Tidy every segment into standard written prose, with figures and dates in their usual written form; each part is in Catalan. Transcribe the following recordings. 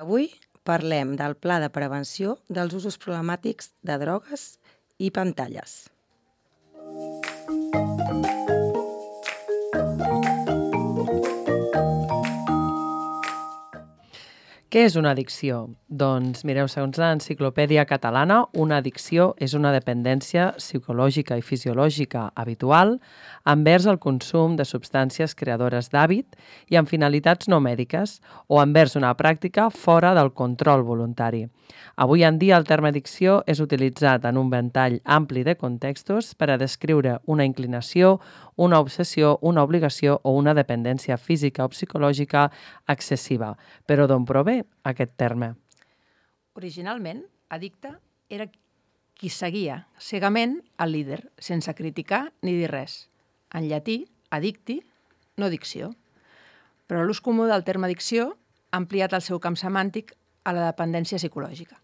Avui parlem del Pla de Prevenció dels Usos Problemàtics de Drogues i Pantalles. Què és una addicció? Doncs, mireu, segons l'Enciclopèdia Catalana, una addicció és una dependència psicològica i fisiològica habitual envers el consum de substàncies creadores d'hàbit i amb finalitats no mèdiques o envers una pràctica fora del control voluntari. Avui en dia el terme addicció és utilitzat en un ventall ampli de contextos per a descriure una inclinació, una obsessió, una obligació o una dependència física o psicològica excessiva. Però d'on prové aquest terme? Originalment, addicte era qui seguia cegament el líder, sense criticar ni dir res. En llatí, addicti, no addicció. Però l'ús comú del terme addicció ha ampliat el seu camp semàntic a la dependència psicològica.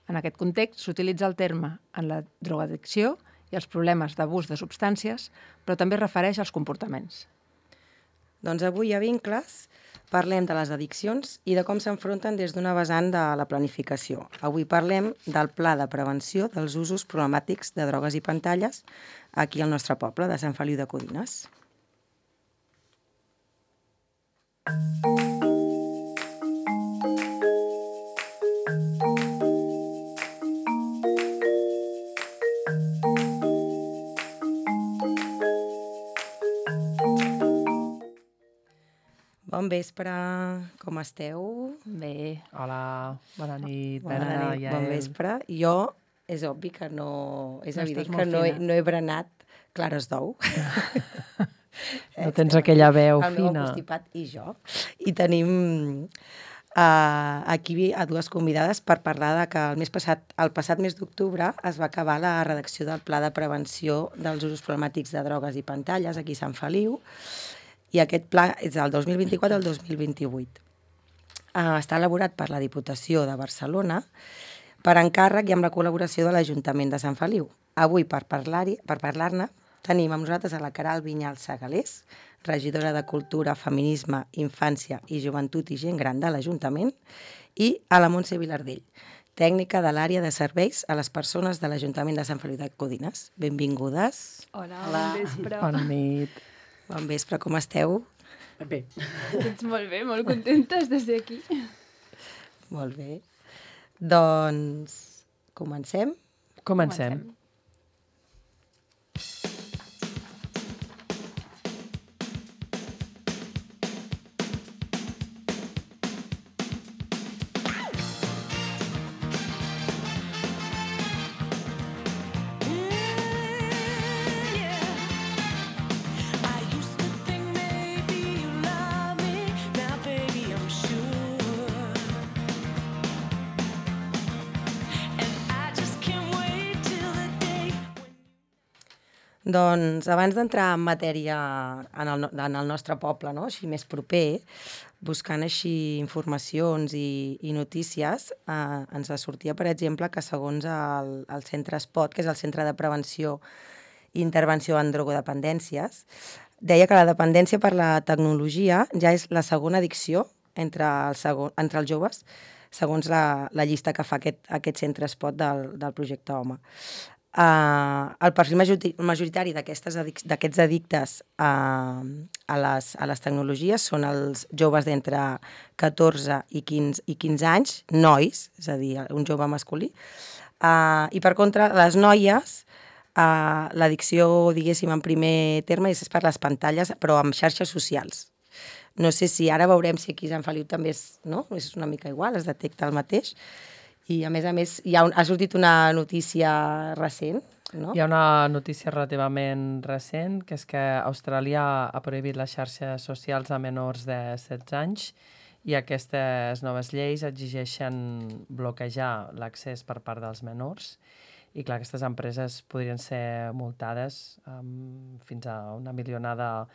En aquest context s'utilitza el terme en la drogoaddicció i els problemes d'abús de substàncies, però també es refereix als comportaments. Doncs avui a Vincles parlem de les addiccions i de com s'enfronten des d'una vessant de la planificació. Avui parlem del Pla de Prevenció dels Usos Problemàtics de Drogues i Pantalles aquí al nostre poble de Sant Feliu de Codines. Bon vespre, com esteu? Bé, Hola, bona nit, Bona Bena, nit, Yael. bon vespre. Jo, és obvi que no... És No evident estàs que molt no fina. he berenat clares d'ou. No tens aquella veu el meu fina. constipat i jo. I tenim aquí a dues convidades per parlar de que el passat mes d'octubre es va acabar la redacció del Pla de Prevenció dels Usos Problemàtics de Drogues i Pantalles aquí a Sant Feliu, i aquest pla és del 2024 al 2028. Està elaborat per la Diputació de Barcelona per encàrrec i amb la col·laboració de l'Ajuntament de Sant Feliu. Avui, per parlar-ne, tenim amb nosaltres a la Queralt Vinyals Segalés, regidora de Cultura, Feminisme, Infància i Joventut i Gent Gran de l'Ajuntament, i a la Montse Vilardell, tècnica de l'àrea de serveis a les persones de l'Ajuntament de Sant Feliu de Codines. Benvingudes. Hola, bon vespre. Bona nit. Bon vespre, com esteu? Bé. Doncs molt bé, molt contentes de ser aquí. Molt bé. Doncs comencem? Comencem. Doncs abans d'entrar en matèria en el nostre poble, no? Així més proper, buscant així informacions i notícies, ens sortia, per exemple, que segons el centre SPOT, que és el Centre de Prevenció i Intervenció en Drogodependències, deia que la dependència per la tecnologia ja és la segona addicció entre els joves, segons la llista que fa aquest centre SPOT del projecte Home. El perfil majoritari d'aquests addictes a les tecnologies són els joves d'entre 14 i 15 anys, nois, és a dir, un jove masculí, i per contra, les noies, l'addicció, diguéssim, en primer terme és per les pantalles, però amb xarxes socials. No sé si ara veurem si aquí a Sant Feliu també és una mica igual, es detecta el mateix. I, a més, ha sortit una notícia recent, no? Hi ha una notícia relativament recent, que és que Austràlia ha prohibit les xarxes socials a menors de 16 anys i aquestes noves lleis exigeixen bloquejar l'accés per part dels menors. I, clar, aquestes empreses podrien ser multades fins a 1 milionada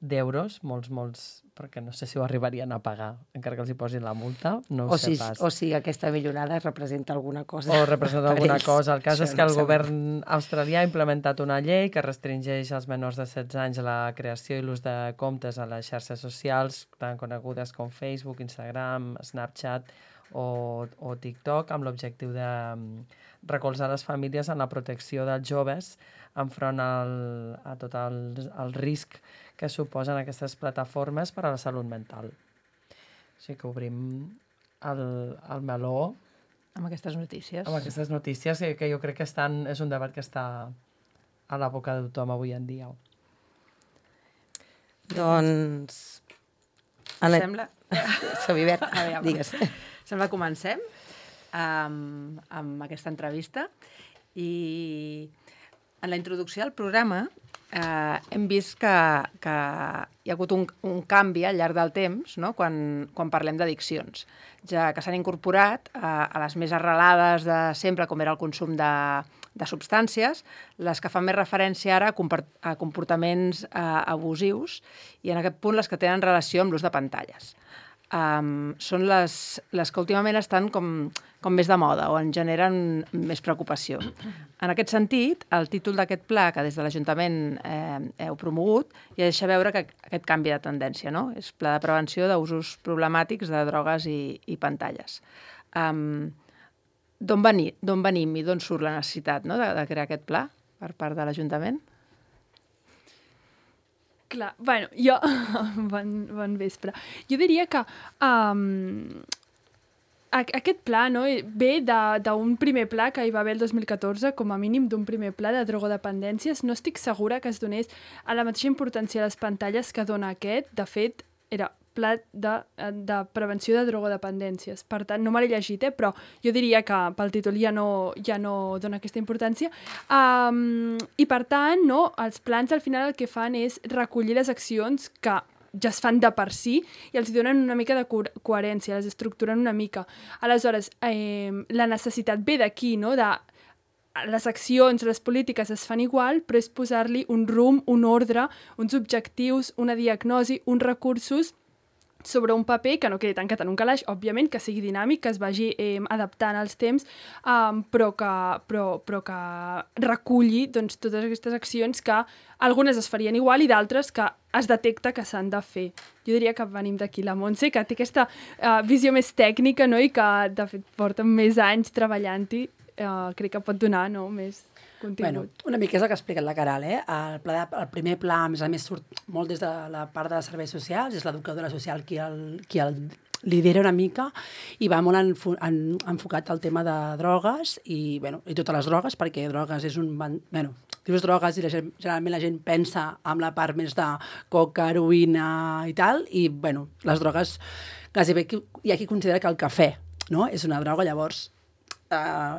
d'euros, molts, perquè no sé si ho arribarien a pagar, encara que els hi posin la multa, no ho sé pas. O si aquesta millonada representa alguna cosa. O representa alguna cosa. El cas és que el no govern australià ha implementat una llei que restringeix als menors de 16 anys la creació i l'ús de comptes a les xarxes socials, tan conegudes com Facebook, Instagram, Snapchat o TikTok amb l'objectiu de recolzar les famílies en la protecció dels joves enfront a tot el risc que suposen aquestes plataformes per a la salut mental. Així que obrim el meló Amb aquestes notícies. amb aquestes notícies que jo crec que és un debat que està a la boca de tothom avui en dia. Doncs... Sembla... Sabibert, A veure, digues. Sembla que comencem amb aquesta entrevista i en la introducció del programa hem vist que hi ha hagut un canvi al llarg del temps, no? quan parlem d'addiccions, ja que s'han incorporat a les més arrelades de sempre, com era el consum de substàncies, les que fan més referència ara a comportaments abusius i en aquest punt les que tenen relació amb l'ús de pantalles. Són les que últimament estan com més de moda o en generen més preocupació. En aquest sentit, el títol d'aquest pla, que des de l'Ajuntament heu promogut, ja deixa veure que aquest canvi de tendència, no? És Pla de Prevenció d'Usos Problemàtics de Drogues i Pantalles. D'on venim i d'on surt la necessitat, no? de crear aquest pla per part de l'Ajuntament? Clar, bueno, jo... bon vespre. Jo diria que aquest pla, no, ve d'un primer pla que hi va haver el 2014, com a mínim d'un primer pla de drogodependències. No estic segura que es donés a la mateixa importància a les pantalles que dona aquest. De fet, era Pla de Prevenció de Drogodependències. Per tant, no me l'he llegit, però jo diria que pel títol ja no dona aquesta importància. I per tant, no, els plans al final el que fan és recollir les accions que ja es fan de per si i els donen una mica de coherència, les estructuren una mica. Aleshores, la necessitat ve d'aquí, no?, de les accions, les polítiques es fan igual, però és posar-li un rumb, un ordre, uns objectius, una diagnosi, uns recursos sobre un paper que no quedi tancat en un calaix, òbviament, que sigui dinàmic, que es vagi adaptant als temps, però que reculli doncs, totes aquestes accions que algunes es farien igual i d'altres que es detecta que s'han de fer. Jo diria que venim d'aquí la Montse, que té aquesta visió més tècnica, no? I que, de fet, porta més anys treballant-hi. Crec que pot donar més contingut. Bueno, una mica és el que ha explicat la Caral, El primer pla, a més, surt molt des de la part de serveis socials, és l'educadora social qui el lidera una mica i va molt enfocat al tema de drogues i totes les drogues, perquè drogues és un... dius drogues i generalment la gent pensa en la part més de coca, heroïna i tal, i les drogues, gairebé hi ha qui considera que el cafè és una droga, llavors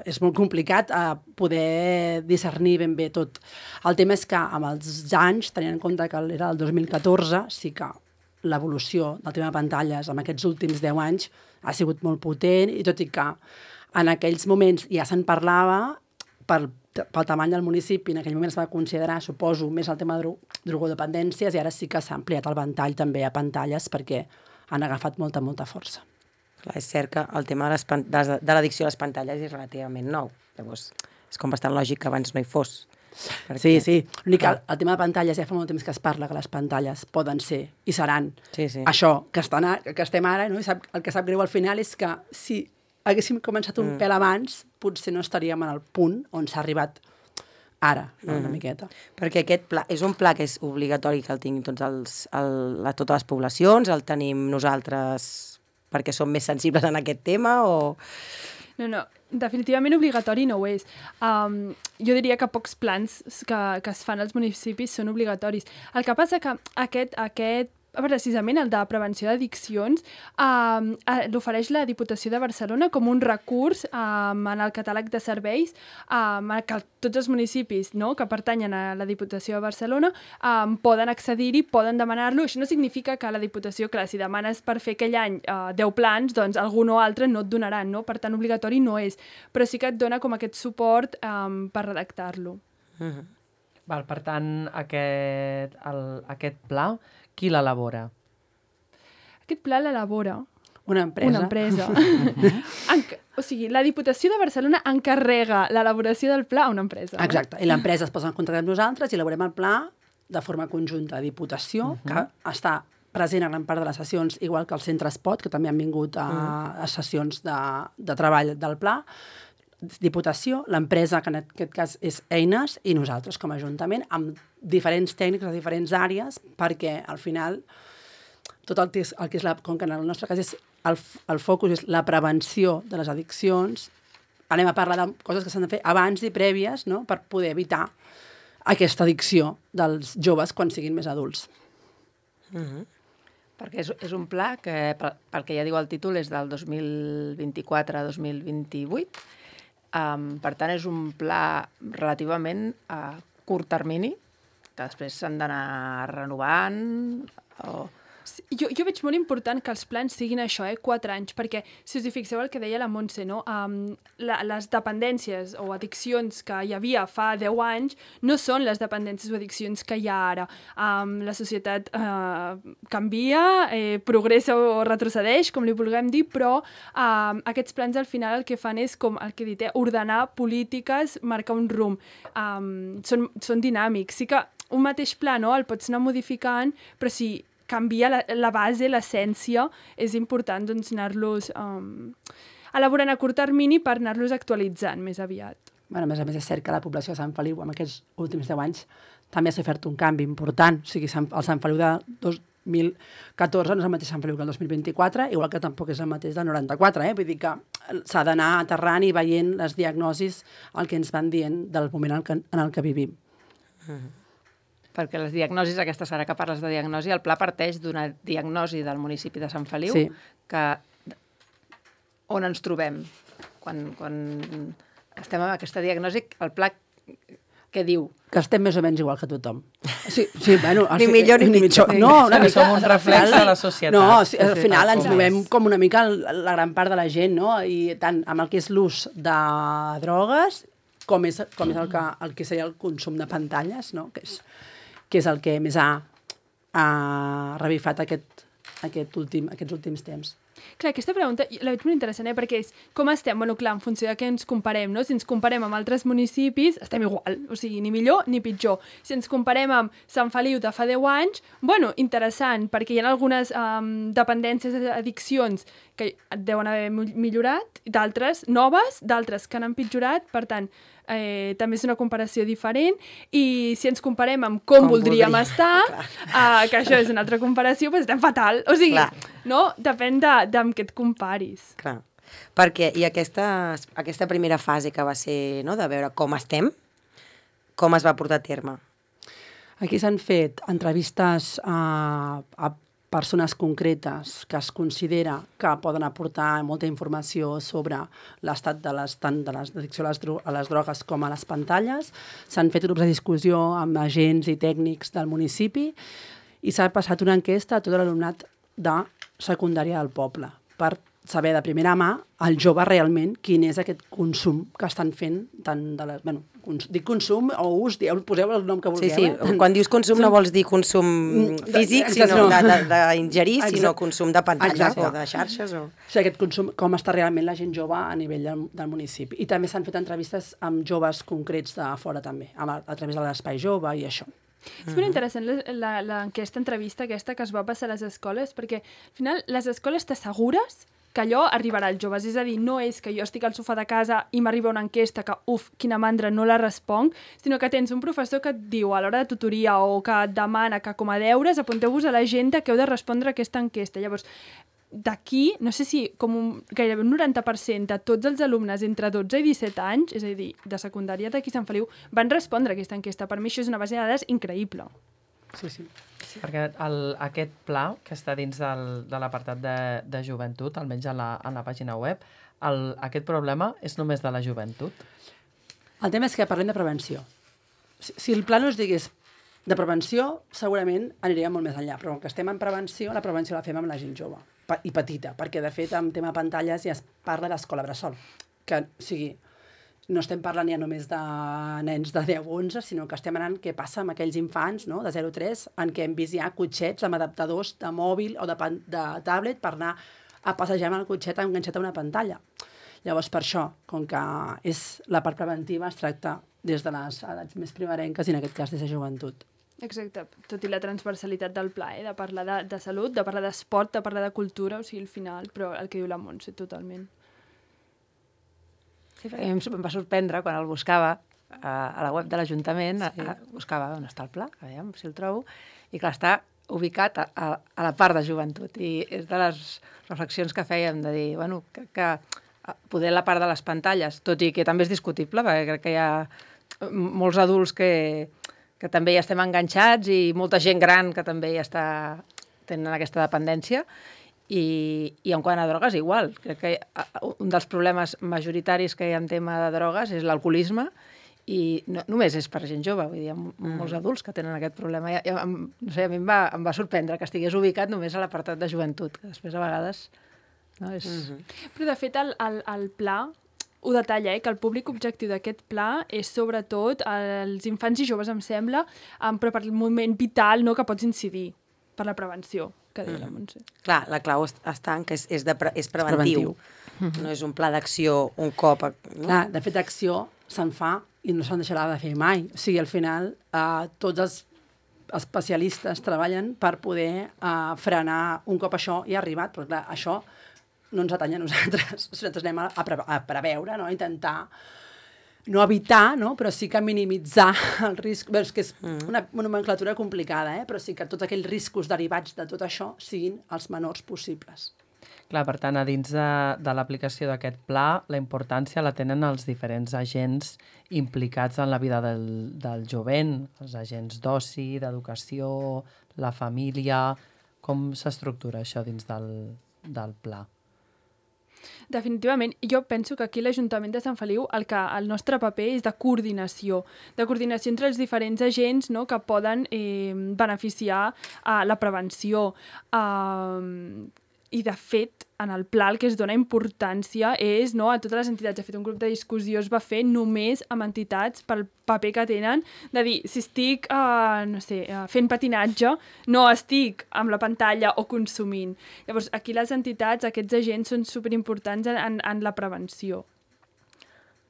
és molt complicat poder discernir ben bé tot. El tema és que amb els anys, tenint en compte que era el 2014, sí que l'evolució del tema de pantalles en aquests últims 10 anys ha sigut molt potent, i tot i que en aquells moments ja se'n parlava pel tamany del municipi, en aquell moment es va considerar, suposo, més el tema de drogodependències, i ara sí que s'ha ampliat el ventall també a pantalles perquè han agafat molta força. Clar, és cert que el tema de l'addicció a les pantalles és relativament nou. Llavors, és com bastant lògic que abans no hi fos. Perquè... Sí. L'únic que el tema de pantalles ja fa molt temps que es parla que les pantalles poden ser i seran això que estem ara, no? El que sap greu al final és que si haguéssim començat un pèl abans, potser no estaríem en el punt on s'ha arribat ara, una miqueta. Perquè aquest pla és un pla que és obligatori que el tinguin totes les poblacions, el tenim nosaltres perquè som més sensibles en aquest tema o... No, definitivament obligatori no ho és. Jo diria que pocs plans que es fan als municipis són obligatoris. El que passa que aquest precisament el de prevenció d'addiccions l'ofereix la Diputació de Barcelona com un recurs en el catàleg de serveis que tots els municipis que pertanyen a la Diputació de Barcelona poden accedir-hi, poden demanar-lo. Això no significa que la Diputació, clar, si demanes per fer aquell any 10 plans, doncs algun o altre no et donaran, no? Per tant, obligatori no és, però sí que et dona com aquest suport per redactar-lo. Per tant, aquest pla, qui l'elabora? Aquest pla l'elabora una empresa. O sigui, la Diputació de Barcelona encarrega l'elaboració del pla a una empresa. Exacte, i l'empresa es posa en contacte amb nosaltres i elaborem el pla de forma conjunta. Diputació, que està present a gran part de les sessions, igual que el Centre Espot, que també han vingut a sessions de treball del pla, Diputació, l'empresa, que en aquest cas és Eines, i nosaltres com a Ajuntament, amb diferents tècnics de diferents àrees, perquè al final tot el que és com que en el nostre cas és el focus és la prevenció de les addiccions, anem a parlar de coses que s'han de fer abans i prèvies, no?, per poder evitar aquesta addicció dels joves quan siguin més adults. Perquè és un pla que, pel que ja diu el títol, és del 2024 a 2028. Per tant, és un pla relativament a curt termini, que després s'han d'anar renovant o... Jo veig molt important que els plans siguin això, 4 anys, perquè si us hi fixeu el que deia la Montse, no? Les dependències o addiccions que hi havia fa 10 anys no són les dependències o addiccions que hi ha ara. La societat canvia, progressa o retrocedeix, com li vulguem dir, però aquests plans al final el que fan és, com el que he dit, ordenar polítiques, marcar un rumb. Són dinàmics. Sí que un mateix pla, no?, el pots anar modificant, però si canvia la base, l'essència, és important doncs, anar-los elaborant a curt termini per anar-los actualitzant més aviat. Bueno, a més és cert que la població de Sant Feliu en aquests últims 10 anys també s'ha fet un canvi important. O sigui, el Sant Feliu de 2014 no és el mateix Sant Feliu que el 2024, igual que tampoc és el mateix del 94. Vull dir que s'ha d'anar aterrant i veient les diagnosis, el que ens van dient del moment en el que vivim. Perquè les diagnosis, aquesta serà que parles de diagnosi, el pla parteix d'una diagnosi del municipi de Sant Feliu, sí, que on ens trobem quan estem amb aquesta diagnosi, el pla què diu? Que estem més o menys igual que tothom. Sí, bueno, ni millor ni pitjor. No, una mica, som un reflex de la societat. No, al final ens movem com una mica la gran part de la gent, no? I tant amb el que és l'ús de drogues com és el que seria el consum de pantalles, no? Que és el que més ha revifat aquests últims temps. Clar, aquesta pregunta la veig molt interessant, perquè és com estem? Bueno, clar, en funció de què ens comparem, no? Si ens comparem amb altres municipis, estem igual, o sigui, ni millor ni pitjor. Si ens comparem amb Sant Feliu de fa 10 anys, bueno, interessant, perquè hi ha algunes dependències, addiccions que deuen haver millorat, d'altres noves, d'altres que han empitjorat, per tant, també és una comparació diferent, i si ens comparem amb com voldríem estar, que això és una altra comparació, doncs estem fatal. O sigui, no? Depèn d'amb què et comparis. Clar. Perquè, i aquesta primera fase que va ser, no?, de veure com estem, com es va portar a terme? Aquí s'han fet entrevistes a persones concretes que es considera que poden aportar molta informació sobre l'estat tant de l'addicció a les drogues com a les pantalles. S'han fet grups de discussió amb agents i tècnics del municipi i s'ha passat una enquesta a tot l'alumnat de secundària del poble per saber de primera mà al jove realment quin és aquest consum que estan fent, tant de la... Bueno, dic consum o ús, poseu el nom que vulgueu. Sí. Quan dius consum no vols dir consum físic, sinó d'ingerir, sinó consum de pantalles o de xarxes. O sigui, aquest consum, com està realment la gent jove a nivell del municipi. I també s'han fet entrevistes amb joves concrets de fora també, a través de l'Espai Jove i això. És molt interessant l'enquesta, entrevista aquesta que es va passar a les escoles, perquè al final les escoles t'assegures que allò arribarà als joves. És a dir, no és que jo estic al sofà de casa i m'arriba una enquesta que, quina mandra, no la responc, sinó que tens un professor que et diu a l'hora de tutoria o que et demana que com a deures apunteu-vos a l'agenda que heu de respondre a aquesta enquesta. Llavors, d'aquí, no sé si gairebé un 90% de tots els alumnes entre 12 i 17 anys, és a dir, de secundària d'aquí Sant Feliu, van respondre a aquesta enquesta. Per mi això és una base de dades increïble. Sí. Perquè aquest pla, que està dins de l'apartat de joventut, almenys en la pàgina web, aquest problema és només de la joventut? El tema és que parlem de prevenció. Si el pla no es digués de prevenció, segurament aniríem molt més enllà, però que estem en prevenció, la prevenció la fem amb la gent jove i petita, perquè de fet en tema pantalles ja es parla d'escola bressol, que sigui... No estem parlant ja només de nens de 10 o 11, sinó que estem anant què passa amb aquells infants, no?, de 0 a 3, en què hem vist ja cotxets amb adaptadors de mòbil o de tablet per anar a passejar amb el cotxet enganxat a una pantalla. Llavors, per això, com que és la part preventiva, es tracta des de les edats més primerenques i en aquest cas des de joventut. Exacte, tot i la transversalitat del pla, de parlar de salut, de parlar d'esport, de parlar de cultura, o sigui, al final, però el que diu la Montse, totalment. Sí, perquè a mi em va sorprendre quan el buscava a la web de l'Ajuntament, buscava on està el pla, a veure si el trobo, i clar, està ubicat a la part de joventut, i és de les reflexions que fèiem, de dir, bueno, que poder la part de les pantalles, tot i que també és discutible, perquè crec que hi ha molts adults que també hi estem enganxats i molta gent gran que també tenen aquesta dependència. I en quant a drogues, igual. Crec que un dels problemes majoritaris que hi ha en tema de drogues és l'alcoholisme i no només és per gent jove, vull dir, hi ha molts adults que tenen aquest problema. No sé, a mi em va sorprendre que estigués ubicat només a l'apartat de joventut, que després a vegades... No, és... Però de fet el pla ho detalla, que el públic objectiu d'aquest pla és sobretot els infants i joves, em sembla, però per el moment vital que pots incidir, per la prevenció, que deia la Montse. Clar, la clau està en que és preventiu. No és un pla d'acció un cop... Clar, de fet, d'acció se'n fa i no se'n deixarà de fer mai. O sigui, al final, tots els especialistes treballen per poder frenar un cop això ja ha arribat, però clar, això no ens atanya a nosaltres. Nosaltres anem a preveure, no? A intentar no evitar, no? Però sí que minimitzar el risc. Bé, és que és una nomenclatura complicada, però sí que tots aquells riscos derivats de tot això siguin els menors possibles. Clar, per tant, a dins de l'aplicació d'aquest pla, la importància la tenen els diferents agents implicats en la vida del jovent, els agents d'oci, d'educació, la família... Com s'estructura això dins del pla? Definitivament. Jo penso que aquí l'Ajuntament de Sant Feliu el nostre paper és de coordinació entre els diferents agents que poden beneficiar la prevenció. I, de fet, en el pla el que es dona importància és a totes les entitats. De fet, un grup de discussió es va fer només amb entitats pel paper que tenen, de dir, si estic fent patinatge, no estic amb la pantalla o consumint. Llavors, aquí les entitats, aquests agents, són superimportants en la prevenció.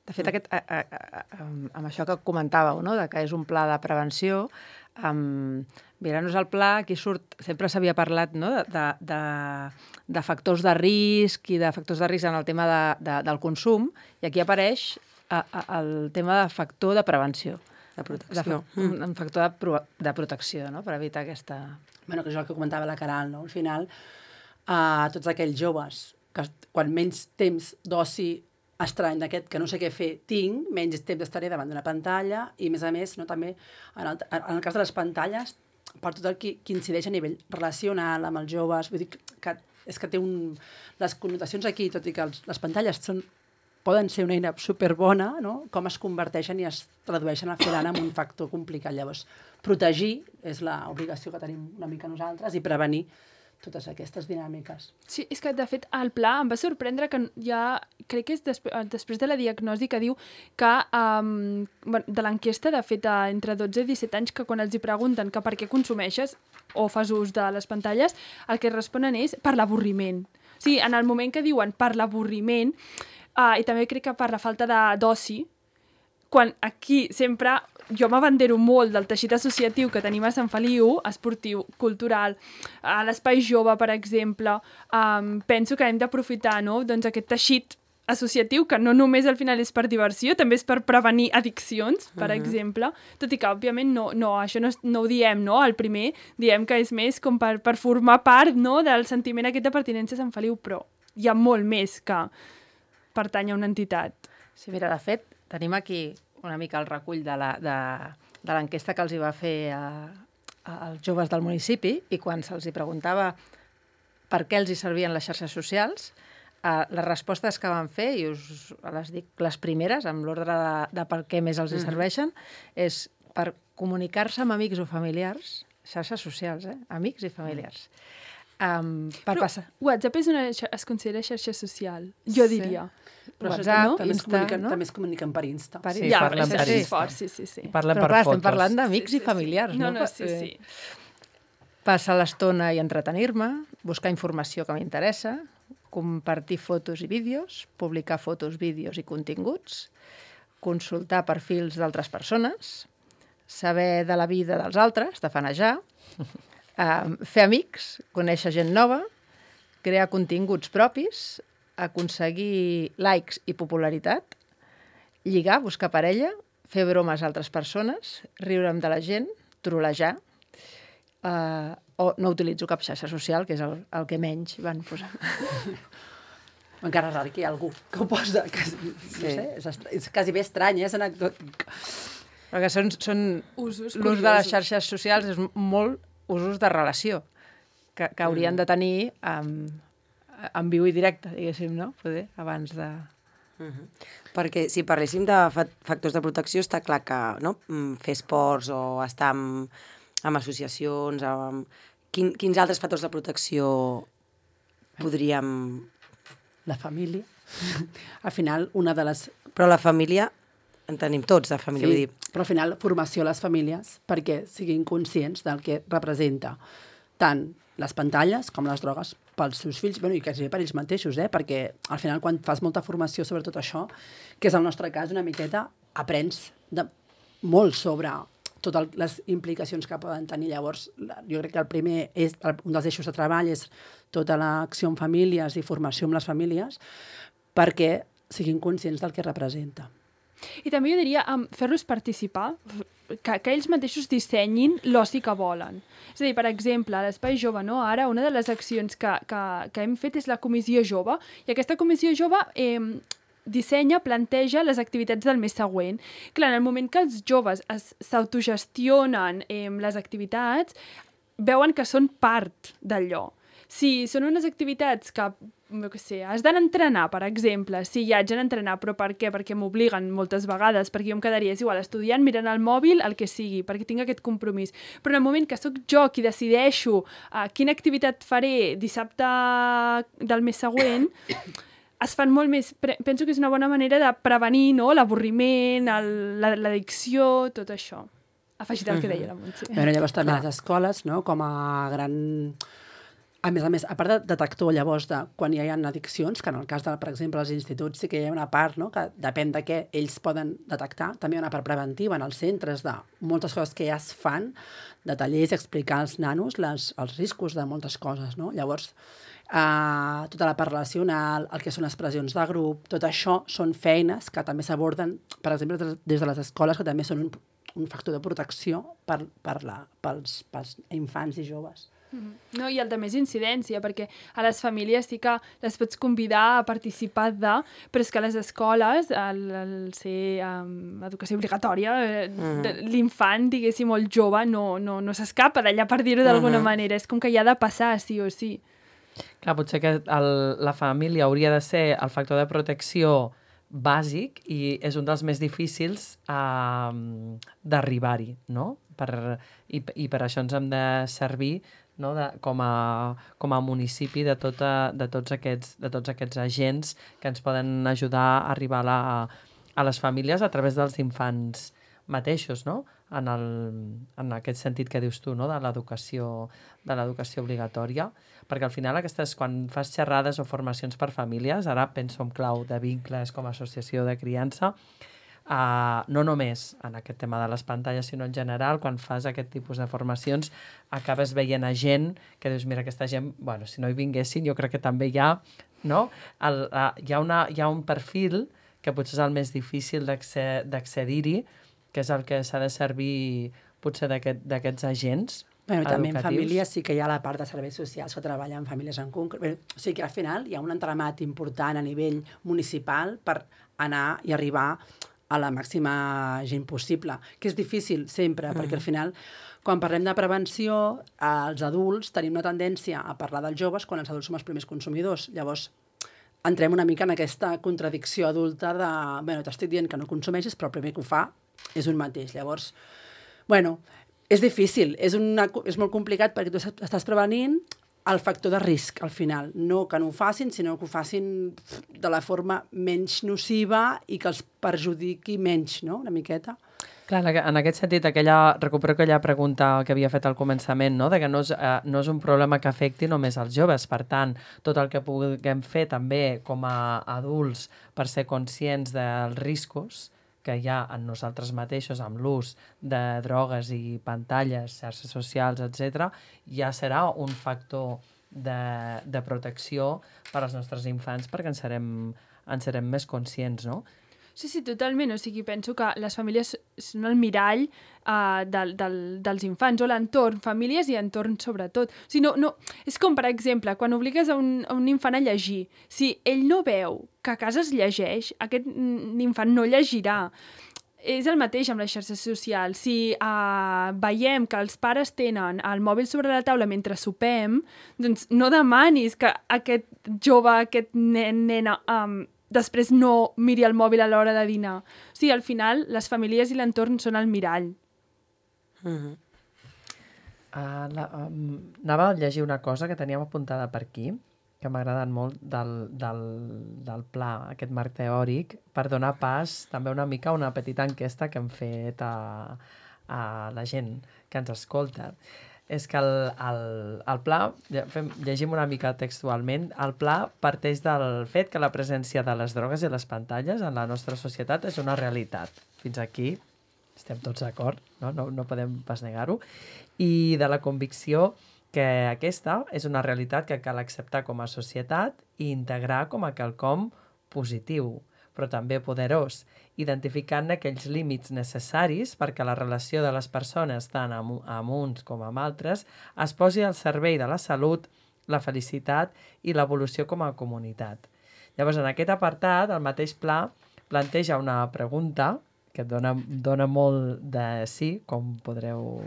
De fet, amb això que comentàveu, de que és un pla de prevenció, mirant-nos el pla, aquí sempre s'havia parlat de factors de risc i de factors de risc en el tema del consum, i aquí apareix el tema de factor de prevenció. De protecció. Un factor de protecció, per evitar aquesta... Bueno, que és el que comentava la Caral, no? Al final, tots aquells joves que quan menys temps d'oci estrany d'aquest que no sé què fer tinc, menys temps estaré davant d'una pantalla i, a més, també en el cas de les pantalles, per tot el que incideix a nivell relacional amb els joves, vull dir que és que té les connotacions aquí, tot i que les pantalles poden ser una eina superbona, no? Com es converteixen i es tradueixen al final en un factor complicat. Llavors, protegir és l'obligació que tenim una mica nosaltres i prevenir totes aquestes dinàmiques. Sí, és que, de fet, el pla em va sorprendre que crec que és després de la diagnosi que diu que de l'enquesta, de fet, entre 12 i 17 anys, que quan els hi pregunten que per què consumeixes o fas ús de les pantalles, el que responen és per l'avorriment. O sigui, en el moment que diuen per l'avorriment, i també crec que per la falta d'oci, quan aquí sempre jo m'abandero molt del teixit associatiu que tenim a Sant Feliu, esportiu, cultural, a l'Espai Jove, per exemple, penso que hem d'aprofitar aquest teixit associatiu, que no només al final és per diversió, també és per prevenir addiccions, per exemple, tot i que, òbviament, això no ho diem, el primer, diem que és més com per formar part del sentiment aquest de pertinença a Sant Feliu, però hi ha molt més que pertany a una entitat. Sí, mira, de fet, tenim aquí una mica el recull de l'enquesta que els hi va fer als joves del municipi, i quan se'ls hi preguntava per què els hi servien les xarxes socials, les respostes que van fer, i us les dic les primeres, amb l'ordre de per què més els hi serveixen, és per comunicar-se amb amics o familiars, xarxes socials, amics i familiars. Però WhatsApp es considera xarxa social, jo diria. Però WhatsApp, Insta, no? També es comuniquen per Insta. Sí, parlen per Insta. Sí. Parlen per per fotos. Estem parlant d'amics i familiars. Sí. Passar l'estona i entretenir-me, buscar informació que m'interessa, compartir fotos i vídeos, publicar fotos, vídeos i continguts, consultar perfils d'altres persones, saber de la vida dels altres, tafanejar, fer amics, conèixer gent nova, crear continguts propis, aconseguir likes i popularitat, lligar, buscar parella, fer bromes a altres persones, riure'm de la gent, trolejar, o no utilitzo cap xarxa social, que és el que menys van posar. Encara és raro que hi ha algú que ho posa. No sé, és quasi bé estrany, és anecdòtic. Perquè són Usos l'ús de les xarxes socials és molt usos de relació que haurien de tenir en viu i directe, diguéssim, no? Poder, abans de... Perquè si parléssim de factors de protecció, està clar que fer esports o estar en associacions... Quins altres factors de protecció podríem... La família. Al final, una de les... Però la família, en tenim tots de família, vull dir... Però al final, formació a les famílies perquè siguin conscients del que representa tant les pantalles com les drogues pels seus fills, i quasi per ells mateixos, perquè al final quan fas molta formació sobre tot això, que és el nostre cas una miqueta, aprens molt sobre totes les implicacions que poden tenir. Llavors, jo crec que el primer, un dels eixos de treball és tota l'acció en famílies i formació amb les famílies perquè siguin conscients del que representa. I també jo diria fer-los participar, que ells mateixos dissenyin l'oci que volen. És a dir, per exemple, a l'Espai Jove, ara una de les accions que hem fet és la Comissió Jove, i aquesta Comissió Jove dissenya, planteja les activitats del mes següent. Clar, en el moment que els joves s'autogestionen les activitats, veuen que són part d'allò. Si són unes activitats que, jo què sé, has d'anar a entrenar, per exemple, sí, ja haig d'anar a entrenar, però per què? Perquè m'obliguen moltes vegades, perquè jo em quedaria, és igual, estudiant, mirant el mòbil, el que sigui, perquè tinc aquest compromís. Però en el moment que sóc jo qui decideixo quina activitat faré dissabte del mes següent, es fan molt més... Penso que és una bona manera de prevenir l'avorriment, l'addicció, tot això. Afegit el que deia la Montse. Llavors també les escoles, com a gran... A més, a part de detector, llavors, de quan hi ha addiccions, que en el cas, per exemple, als instituts sí que hi ha una part, que depèn de què ells poden detectar, també hi ha una part preventiva en els centres de moltes coses que ja es fan, de tallers, explicar als nanos els riscos de moltes coses, no? Llavors, tota la part relacional, el que són les pressions de grup, tot això són feines que també s'aborden, per exemple, des de les escoles, que també són un factor de protecció pels infants i joves. No, i el de més incidència, perquè a les famílies sí que les pots convidar a participar però és que a les escoles, al ser educació obligatòria, l'infant, diguéssim, molt jove, no s'escapa d'allà, per dir-ho d'alguna manera. És com que hi ha de passar, sí o sí. Clar, potser que la família hauria de ser el factor de protecció bàsic i és un dels més difícils d'arribar-hi, no? I per això ens hem de servir com a municipi de tots aquests agents que ens poden ajudar a arribar a les famílies a través dels infants mateixos, no? En aquest sentit que dius tu, no? De l'educació obligatòria, perquè al final quan fas xerrades o formacions per famílies, ara penso en clau de vincles com a associació de criança, no només en aquest tema de les pantalles, sinó en general, quan fas aquest tipus de formacions, acabes veient a gent que dius, mira, aquesta gent, bueno, si no hi vinguessin, jo crec que també hi ha, no? Hi ha un perfil que potser és el més difícil d'accedir-hi, que és el que s'ha de servir potser d'aquests agents educatius. També en famílies sí que hi ha la part de serveis socials que treballen en famílies en concret. O sigui que al final hi ha un entramat important a nivell municipal per anar i arribar a la màxima gent possible, que és difícil sempre, perquè al final, quan parlem de prevenció, els adults tenim una tendència a parlar dels joves quan els adults som els primers consumidors. Llavors, entrem una mica en aquesta contradicció adulta de, t'estic dient que no consumeixis, però el primer que ho fa és un mateix. Llavors, és difícil, és molt complicat perquè tu estàs prevenint el factor de risc, al final. No que no ho facin, sinó que ho facin de la forma menys nociva i que els perjudiqui menys, no?, una miqueta. Clar, en aquest sentit, recupero aquella pregunta que havia fet al començament, no?, de que no és un problema que afecti només als joves. Per tant, tot el que puguem fer també com a adults per ser conscients dels riscos que hi ha en nosaltres mateixos amb l'ús de drogues i pantalles, xarxes socials, etc., ja serà un factor de protecció per als nostres infants perquè en serem més conscients, no? Sí, totalment. O sigui, penso que les famílies són el mirall dels infants, o l'entorn, famílies i entorn sobretot. O sigui, no, és com, per exemple, quan obligues a un infant a llegir. Si ell no veu que a casa es llegeix, aquest infant no llegirà. És el mateix amb les xarxes socials. Si veiem que els pares tenen el mòbil sobre la taula mentre sopem, doncs no demanis que aquest jove, aquest nena, després no miri el mòbil a l'hora de dinar. O sigui, al final, les famílies i l'entorn són el mirall. Anava a llegir una cosa que teníem apuntada per aquí, que m'ha agradat molt del pla, aquest marc teòric, per donar pas també una mica a una petita enquesta que hem fet a la gent que ens escolta. És que el pla, llegim una mica textualment, el pla parteix del fet que la presència de les drogues i les pantalles en la nostra societat és una realitat. Fins aquí estem tots d'acord, no podem pas negar-ho, i de la convicció que aquesta és una realitat que cal acceptar com a societat i integrar com a quelcom positiu, però també poderós, identificant aquells límits necessaris perquè la relació de les persones, tant amb uns com amb altres, es posi al servei de la salut, la felicitat i l'evolució com a comunitat. Llavors, en aquest apartat, el mateix pla planteja una pregunta que dona molt de sí, com podreu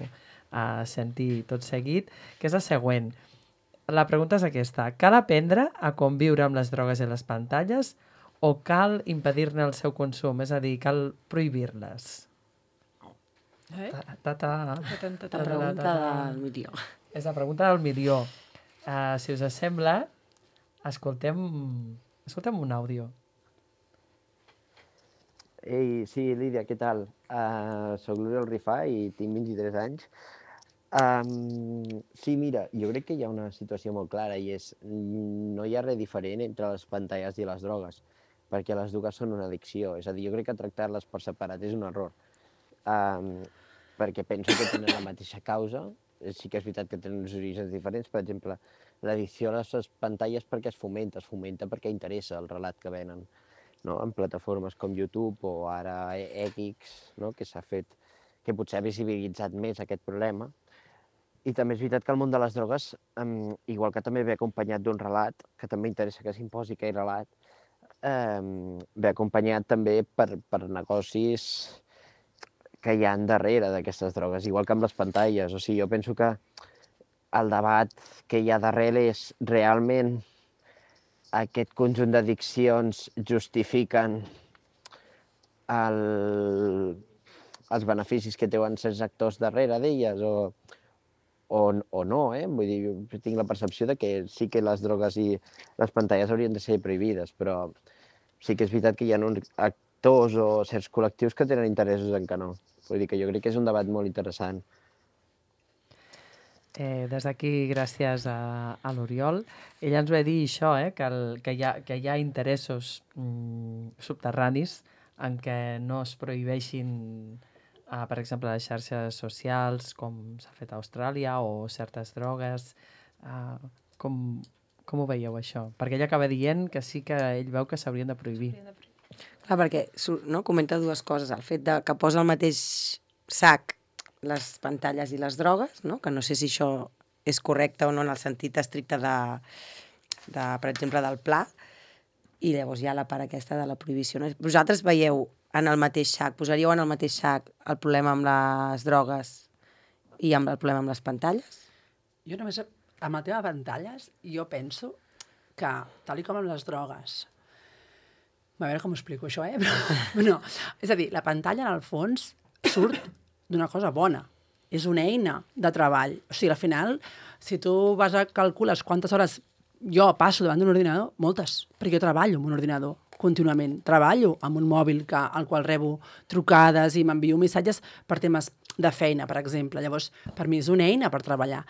sentir tot seguit, que és la següent. La pregunta és aquesta. Cal aprendre a conviure amb les drogues i les pantalles o cal impedir-ne el seu consum? És a dir, cal prohibir-les? La pregunta del milió. És la pregunta del milió. Si us sembla, escoltem un àudio. Ei, sí, Lídia, què tal? Soc l'Oriol Rifà i tinc 23 anys. Sí, mira, jo crec que hi ha una situació molt clara i és no hi ha res diferent entre les pantalles i les drogues, perquè les dues són una addicció. És a dir, jo crec que tractar-les per separat és un error, perquè penso que tenen la mateixa causa. Sí que és veritat que tenen uns orígens diferents. Per exemple, l'addicció a les pantalles perquè es fomenta perquè interessa el relat que venen, no? En plataformes com YouTube o ara X, no? Que s'ha fet, que potser ha visibilitzat més aquest problema. I també és veritat que el món de les drogues, igual que també ve acompanyat d'un relat, que també interessa que s'imposi aquell relat, ve acompanyat també per negocis que hi ha darrere d'aquestes drogues, igual que amb les pantalles. O sigui, jo penso que el debat que hi ha darrere és realment aquest conjunt d'addiccions justifiquen els beneficis que teuen certs actors darrere d'elles o no, Vull dir, jo tinc la percepció de que sí que les drogues i les pantalles haurien de ser prohibides, però sí que és veritat que hi ha uns actors o certs col·lectius que tenen interessos en que no. Vull dir que jo crec que és un debat molt interessant. Des d'aquí, gràcies a l'Oriol. Ella ens va dir això, que hi ha interessos subterranis en què no es prohibeixin, per exemple, les xarxes socials, com s'ha fet a Austràlia, o certes drogues. Com ho veieu, això? Perquè ella acaba dient que sí que ell veu que s'haurien de prohibir. Clar, perquè comenta dues coses. El fet que posa al mateix sac les pantalles i les drogues, no? Que no sé si això és correcte o no en el sentit estricte per exemple, del pla, i llavors hi ha la part aquesta de la prohibició. Vosaltres veieu en el mateix sac, posaríeu en el mateix sac el problema amb les drogues i el problema amb les pantalles? Jo només, amb el tema de pantalles, jo penso que, tal com amb les drogues, a veure com ho explico això, però no. És a dir, la pantalla, en el fons, surt d'una cosa bona. És una eina de treball. O sigui, al final, si tu vas a calcules quantes hores jo passo davant d'un ordinador, moltes, perquè jo treballo amb un ordinador contínuament. Treballo amb un mòbil al qual rebo trucades i m'envio missatges per temes de feina, per exemple. Llavors, per mi és una eina per treballar.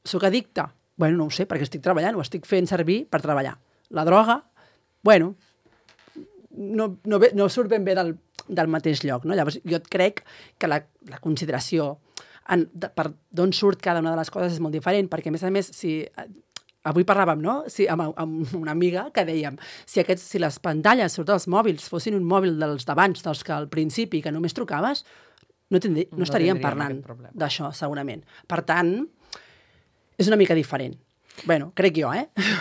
Soc addicte? Bueno, no ho sé, perquè estic treballant, ho estic fent servir per treballar. La droga, bueno, no surt ben bé del mateix lloc, no? Llavors, jo crec que la consideració per d'on surt cada una de les coses és molt diferent, perquè, a més, si... Avui parlàvem, no? Amb una amiga que dèiem, si les pantalles, sobretot els mòbils, fossin un mòbil dels d'abans, dels que al principi, que només trucaves, no estaríem parlant d'això, segurament. Per tant, és una mica diferent. Bueno, crec jo,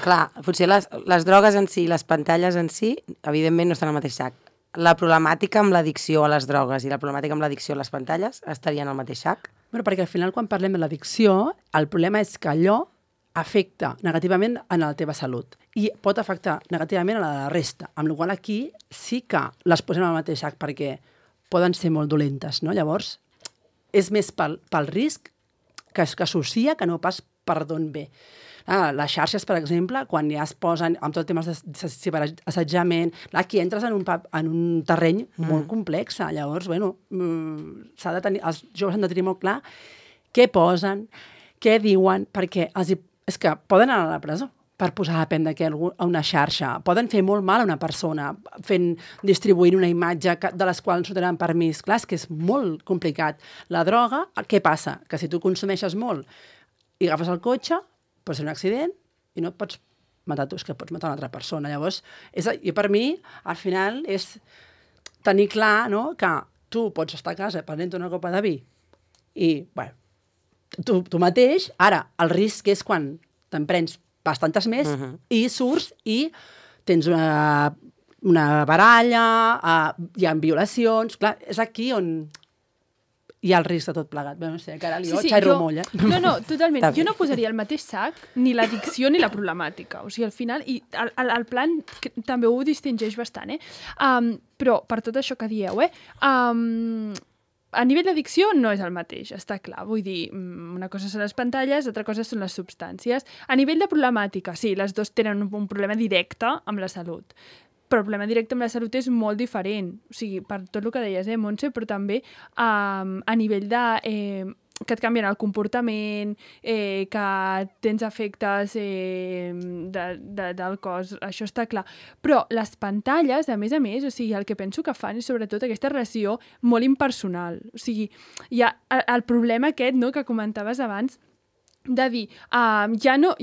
Clar, potser les drogues en si, les pantalles en si, evidentment no estan al mateix sac. La problemàtica amb l'addicció a les drogues i la problemàtica amb l'addicció a les pantalles estarien al mateix sac? Bueno, perquè al final, quan parlem de l'addicció, el problema és que allò afecta negativament en la teva salut i pot afectar negativament a la resta, amb la qual cosa aquí sí que les posem al mateix sac perquè poden ser molt dolentes, no? Llavors, és més pel risc que associa que no pas per d'on ve. Les xarxes, per exemple, quan ja es posen amb tot el tema de ciberassetjament, aquí entres en un terreny molt complex. Llavors, bueno, els joves han de tenir molt clar què posen, què diuen, perquè és que poden anar a la presó per posar a prendre a una xarxa. Poden fer molt mal a una persona distribuint una imatge de les quals no tenen permís. Clar, és que és molt complicat. La droga, què passa? Que si tu consumeixes molt i agafes el cotxe, pot ser un accident i no et pots matar tu, és que pots matar una altra persona. Llavors, i per mi, al final, és tenir clar, no?, que tu pots estar a casa prenent una copa de vi i, bueno, tu mateix, ara, el risc és quan te'n prens bastantes més i surts i tens una baralla, hi ha violacions... Clar, és aquí on hi ha el risc de tot plegat. Bé, no sé, Caral, jo xerro molt, No, totalment. Jo no posaria al mateix sac ni l'addicció ni la problemàtica. O sigui, al final, i el plan també ho distingeix bastant, però per tot això que dieu, a nivell d'addicció no és el mateix, està clar. Vull dir, una cosa són les pantalles, altra cosa són les substàncies. A nivell de problemàtica, sí, les dues tenen un problema directe amb la salut. Però el problema directe amb la salut és molt diferent. O sigui, per tot el que deies, Montse, però també a nivell de... que et canvien el comportament, que tens efectes del cos, això està clar. Però les pantalles, a més, o sigui, el que penso que fan és sobretot aquesta relació molt impersonal. O sigui, hi ha el problema aquest, no?, que comentaves abans, de dir, ja no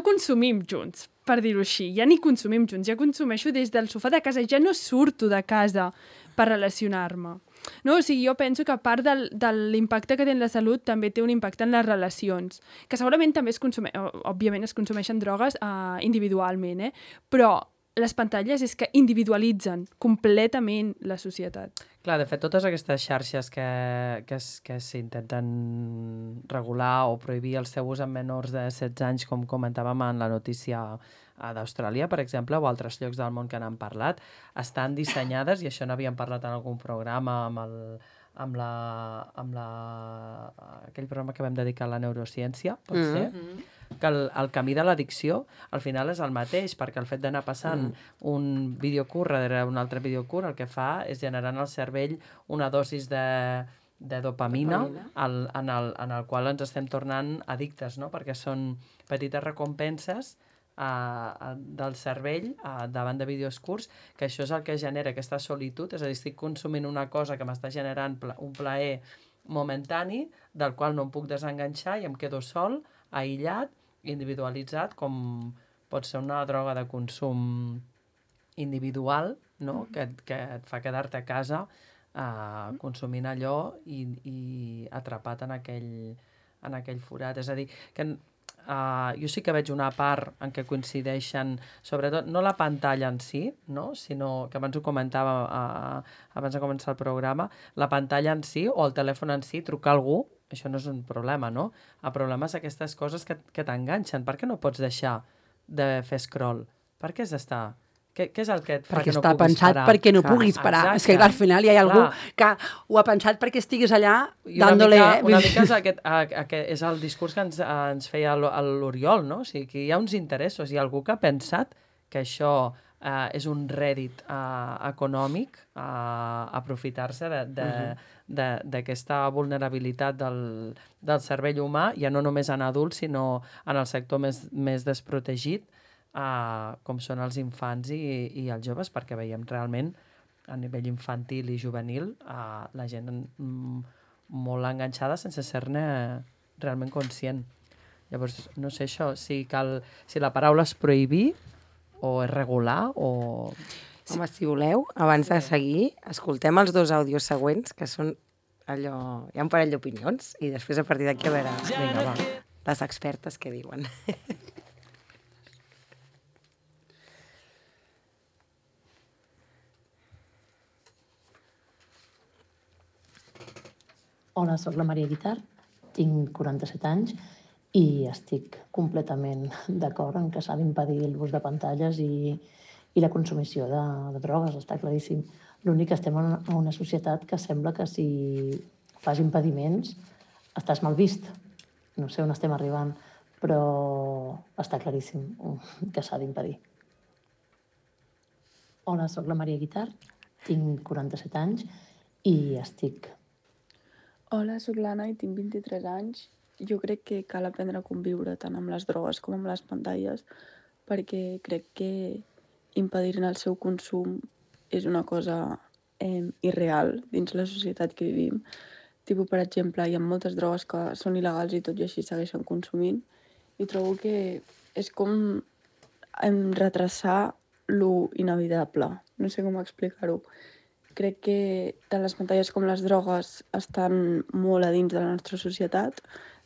consumim junts, per dir-ho així, ja ni consumim junts, ja consumeixo des del sofà de casa, ja no surto de casa per relacionar-me. No? O sigui, jo penso que a part de l'impacte que té en la salut també té un impacte en les relacions, que segurament també òbviament es consumeixen drogues individualment, però les pantalles és que individualitzen completament la societat. Clar, de fet, totes aquestes xarxes que s'intenten regular o prohibir el seu ús en menors de 16 anys, com comentàvem en la notícia d'Austràlia, per exemple, o altres llocs del món que n'han parlat, estan dissenyades, i això n'havíem parlat en algun programa aquell programa que vam dedicar a la neurociència, pot ser, que el camí de l'addicció al final és el mateix, perquè el fet d'anar passant un videocurt darrere un altre videocurt el que fa és generar en el cervell una dosis de dopamina en el qual ens estem tornant addictes, no? Perquè són petites recompenses del cervell davant de vídeos curts, que això és el que genera aquesta solitud, és a dir, estic consumint una cosa que m'està generant un plaer momentani, del qual no em puc desenganxar i em quedo sol, aïllat, individualitzat, com pot ser una droga de consum individual, no? que et fa quedar-te a casa consumint allò i atrapat en aquell forat. És a dir, que jo sí que veig una part en què coincideixen, sobretot, no la pantalla en si, no? Sinó que abans ho comentava abans de començar el programa, la pantalla en si o el telèfon en si, trucar a algú, això no és un problema, no? El problema és aquestes coses que t'enganxen. Per què no pots deixar de fer scroll? Per què has d'estar? Què és el que et fa que no puguis parar? Perquè està pensat perquè no puguis parar. Exacte. És que al final hi ha algú que ho ha pensat perquè estiguis allà dándole... Una mica és el discurs que ens feia l'Oriol, no? O sigui, que hi ha uns interessos. Hi ha algú que ha pensat que això és un rèdit econòmic, aprofitar-se d'aquesta vulnerabilitat del cervell humà, ja no només en adults, sinó en el sector més desprotegit, com són els infants i els joves, perquè veiem realment a nivell infantil i juvenil, la gent molt enganxada sense ser-ne realment conscient. Llavors, no sé això, si la paraula és prohibir o és regular o... Home, si voleu, abans de seguir, escoltem els 2 àudios següents, que són allò... Hi ha un parell d'opinions, i després a partir d'aquí a veure Vinga, va. les expertes què diuen. Hola, sóc la Maria Guitar, tinc 47 anys i estic completament d'acord en que s'ha d'impedir l'ús de pantalles i la consumició de drogues, està claríssim. L'únic que estem en una societat que sembla que si fas impediments estàs mal vist. No sé on estem arribant, però està claríssim que s'ha d'impedir. Hola, sóc la Maria Guitar, tinc 47 anys i estic... Hola, sóc l'Anna i tinc 23 anys. Jo crec que cal aprendre a conviure tant amb les drogues com amb les pantalles perquè crec que impedir-ne el seu consum és una cosa irreal dins la societat que vivim. Per exemple, hi ha moltes drogues que són il·legals i tot i així segueixen consumint i trobo que és com retrasar lo inevitable. No sé com explicar-ho. Crec que tant les pantalles com les drogues estan molt a dins de la nostra societat,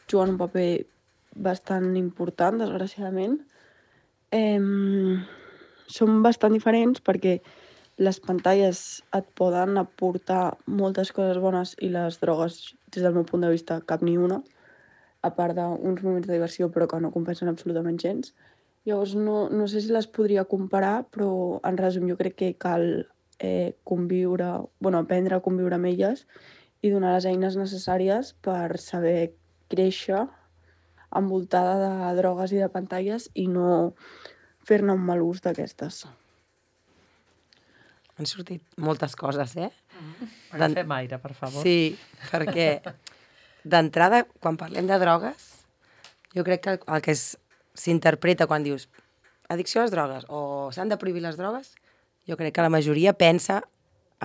juguen un paper bastant important, desgraciadament. Són bastant diferents perquè les pantalles et poden aportar moltes coses bones i les drogues, des del meu punt de vista, cap ni una, a part d'uns moments de diversió però que no compensen absolutament gens. Llavors no sé si les podria comparar, però en resum jo crec que cal aprendre a conviure amb elles i donar les eines necessàries per saber créixer envoltada de drogues i de pantalles i no fer-ne un mal ús d'aquestes. Han sortit moltes coses, eh? Agafem aire, per favor. Sí, perquè d'entrada, quan parlem de drogues, jo crec que el que s'interpreta quan dius addicció a les drogues o s'han de prohibir les drogues, jo crec que la majoria pensa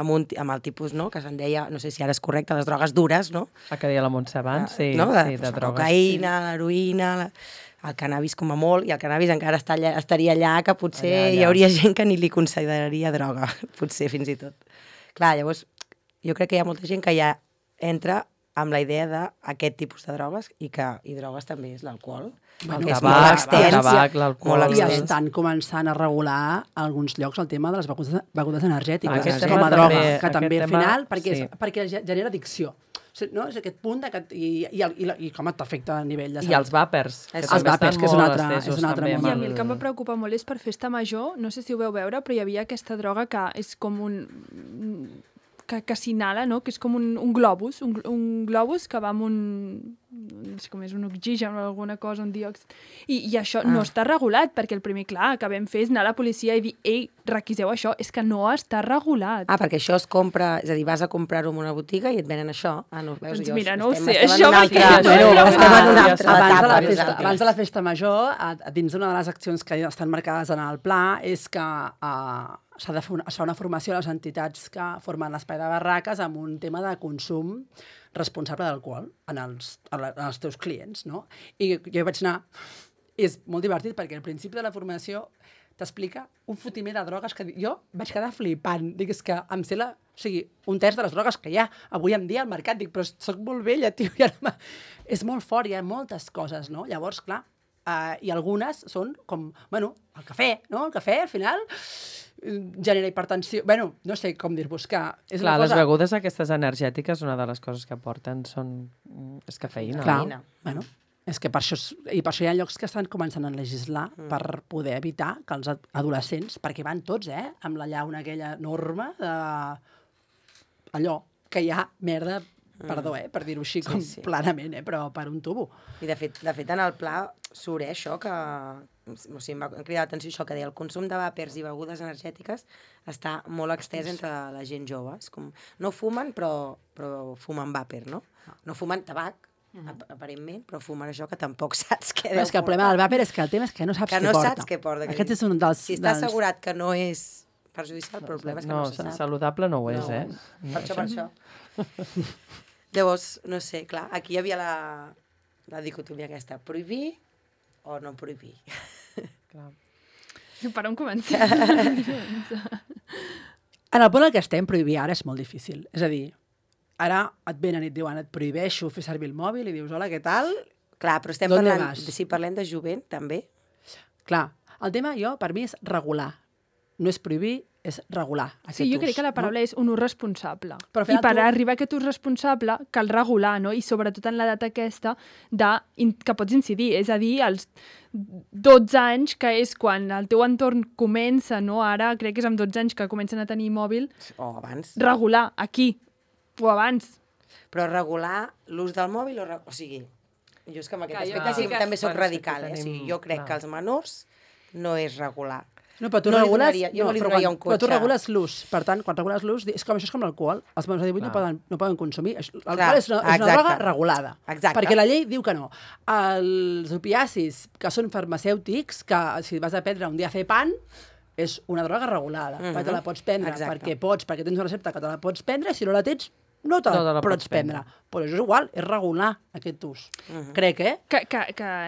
amb el tipus, no?, que se'n deia, no sé si ara és correcte, les drogues dures, no? El que deia la Montse abans, sí, no? de drogues. La cocaïna, l'heroïna, el cannabis com a molt, i el cannabis encara estaria allà, que potser allà. Hi hauria gent que ni li consideraria droga, potser fins i tot. Clar, llavors, jo crec que hi ha molta gent que ja entra amb la idea d'aquest tipus de drogues i drogues també és l'alcohol. El tabac, l'alcohol. I estan començant a regular a alguns llocs el tema de les begudes energètiques com a droga, que també al final, perquè genera addicció. No? És aquest punt i com t'afecta a nivell de salut. I els vàpers. Els vàpers, que és un altre món. I a mi el que em va preocupar molt és per festa major, no sé si ho veu veure, però hi havia aquesta droga que és com que s'inhala, no? Que és com un globus, un globus que va amb no sé com és, un oxigen o alguna cosa, un diòxid. I això no està regulat, perquè el primer, clar, que vam fer és anar a la policia i dir, ei, requiseu això, és que no està regulat. Perquè això es compra, és a dir, vas a comprar-ho en una botiga i et venen això. No, veus, doncs mira, no ho sé, això mateix. Estem en una altra etapa. Abans de la festa major, dins d'una de les accions que estan marcades en el pla, és que s'ha de fer una formació a les entitats que formen l'espai de barraques amb un tema de consum responsable d'alcohol en els teus clients, no? I jo vaig anar... És molt divertit perquè al principi de la formació t'explica un fotiment de drogues que jo vaig quedar flipant. Dic, és que em sé un terç de les drogues que hi ha avui en dia al mercat. Dic, però soc molt vella, tio. És molt fort, hi ha moltes coses, no? Llavors, clar, i algunes són com, bueno, el cafè, no? El cafè, al final, genera hipertensió. Bueno, no sé com dir-vos que... Clar, les begudes aquestes energètiques, una de les coses que porten és cafeïna. Clar, bueno, és que per això hi ha llocs que estan començant a legislar per poder evitar que els adolescents, perquè van tots, amb la llauna aquella enorme de... allò, que hi ha merda, perdó, per dir-ho així com planament, però per un tubo. I de fet en el pla surt això que... O sigui, em va cridar l'atenció això que deia, el consum de vàpers i begudes energètiques està molt extès entre la gent jove. És com, no fumen, però fumen vàper, no? No fumen tabac, aparentment, però fumen això que tampoc saps què deu portar. És que el problema del vàper és que el tema és que no saps què porta. Aquest és un dels... Si està assegurat que no és perjudicial, però el problema és que No, no se sap. saludable no ho és, No, eh? Per això. Llavors, no sé, clar, aquí hi havia la dicotomia aquesta, prohibir o no prohibir. Clar. Per on comencem? En el punt en què estem, prohibir ara és molt difícil. És a dir, ara et venen i et diuen, et prohibeixo fer servir el mòbil i dius, hola, què tal? Clar, però estem ¿Dónde parlant, vas? si parlem de jovent, també. Clar, el tema, per mi, és regular. No és prohibir, és regular aquest Sí, jo ús, crec que la paraula és un ús responsable. Però al I final per tu- arribar a aquest ús responsable cal regular, no? I sobretot en l'edat aquesta que pots incidir. És a dir, als 12 anys, que és quan el teu entorn comença, no? Ara crec que és amb 12 anys que comencen a tenir mòbil, O abans. regular, aquí, o abans. Però regular l'ús del mòbil o sigui, jo és que amb aquest Clar, jo aspecte sí que- també soc bueno, és que radical, aquí O sigui, tenim- jo crec clar. que els menors no és regular. No, però tu No li regules... donaria- jo no li però donaria un Però tu cotxe. regules l'ús. Per tant, quan regules l'ús, això és com l'alcohol. Els menors de 18 Clar. no poden consumir. L'alcohol Clar, és una exacte. droga regulada. Exacte. Perquè la llei diu que no. Els opiacis, que són farmacèutics, que si vas a prendre un diazepam, és una droga regulada. Perquè te la pots prendre Exacte. perquè pots, perquè tens una recepta que te la pots prendre, i si no la tens, no te la pots prendre. Però això és igual, és regular aquest ús. Crec, Que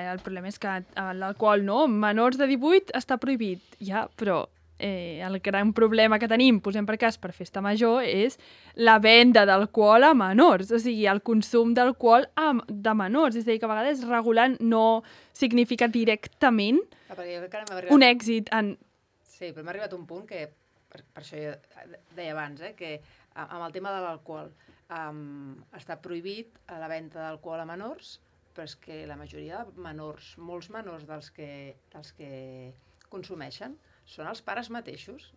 el problema és que l'alcohol, no? Menors de 18 està prohibit, ja, però el gran problema que tenim, posem per cas, per festa major, és la venda d'alcohol a menors, o sigui, el consum d'alcohol de menors. És a dir, que a vegades regular no significa directament Perquè jo crec que ara m'ha arribat... un èxit en... Sí, però m'ha arribat un punt que, per això jo deia abans, que amb el tema de l'alcohol està prohibit la venda d'alcohol a menors, però és que la majoria de menors, molts menors dels que consumeixen, són els pares mateixos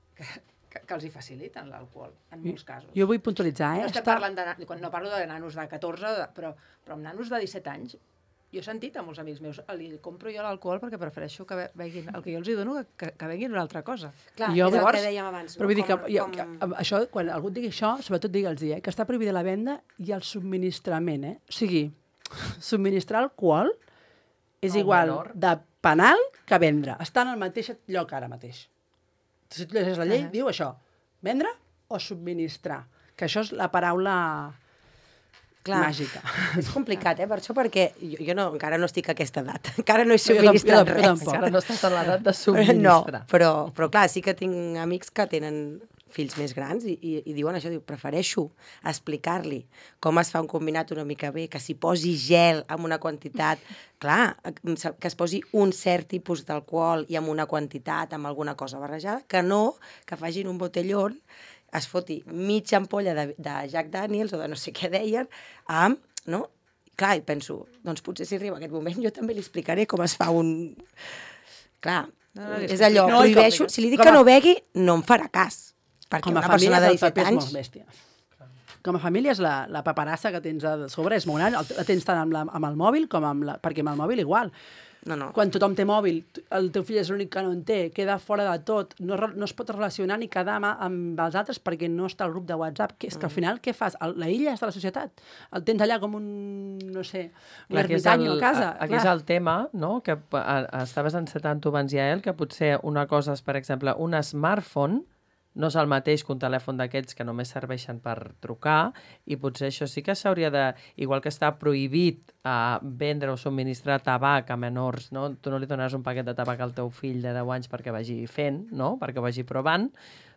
que els hi faciliten l'alcohol, en molts casos. Jo vull puntualitzar, No estem parlant no parlo de nanos de 14, però amb nanos de 17 anys, jo he sentit a molts amics meus, li compro jo l'alcohol perquè prefereixo que beguin el que jo els hi dono que beguin una altra cosa. Clar, Jo és el llavors- que dèiem abans. Però vull dir que, Com- això, quan algú et digui això, sobretot digue'ls que està prohibida la venda i el subministrament, O sigui, subministrar alcohol és Al igual menor. de penal que vendre. Està en el mateix lloc ara mateix. Si tu llegeixes la llei, diu això, vendre o subministrar, que això és la paraula màgica. És complicat, per això, perquè jo encara no estic a aquesta edat. Encara no he Jo subministrat tampoc. res. Encara no estàs a l'edat de No, subministrar. però clar, sí que tinc amics que tenen fills més grans i diuen això, prefereixo explicar-li com es fa un combinat una mica bé, que s'hi posi gel amb una quantitat, clar, que es posi un cert tipus d'alcohol i amb una quantitat, amb alguna cosa barrejada, que no que facin un botellón, es foti mitja ampolla de Jack Daniels o de no sé què deien, amb, no? Clar, i penso, doncs potser si arriba aquest moment jo també li explicaré com es fa un... Clar, és allò, prohibeixo, si li dic que no begui, no em farà cas. Perquè Com a una persona de família, el 17 paper és anys... molt bèstia. Com a família, la paperassa que tens a sobre és molt gran. La tens tant amb el mòbil com amb la... Perquè amb el mòbil igual. No. Quan tothom té mòbil, el teu fill és l'únic que no en té, queda fora de tot, no es pot relacionar ni quedar amb els altres perquè no està al grup de WhatsApp, que és que al final què fas? L'aïlles de la societat. El tens allà com un, no sé, un ermitany a casa. Aquí és el tema, no?, que estaves encetant tu abans, Yael, que potser una cosa és, per exemple, un smartphone, no és el mateix que un telèfon d'aquests que només serveixen per trucar, i potser això sí que s'hauria de... Igual que està prohibit vendre o subministrar tabac a menors, no? Tu no li donaràs un paquet de tabac al teu fill de 10 anys perquè vagi fent, no?, perquè vagi provant,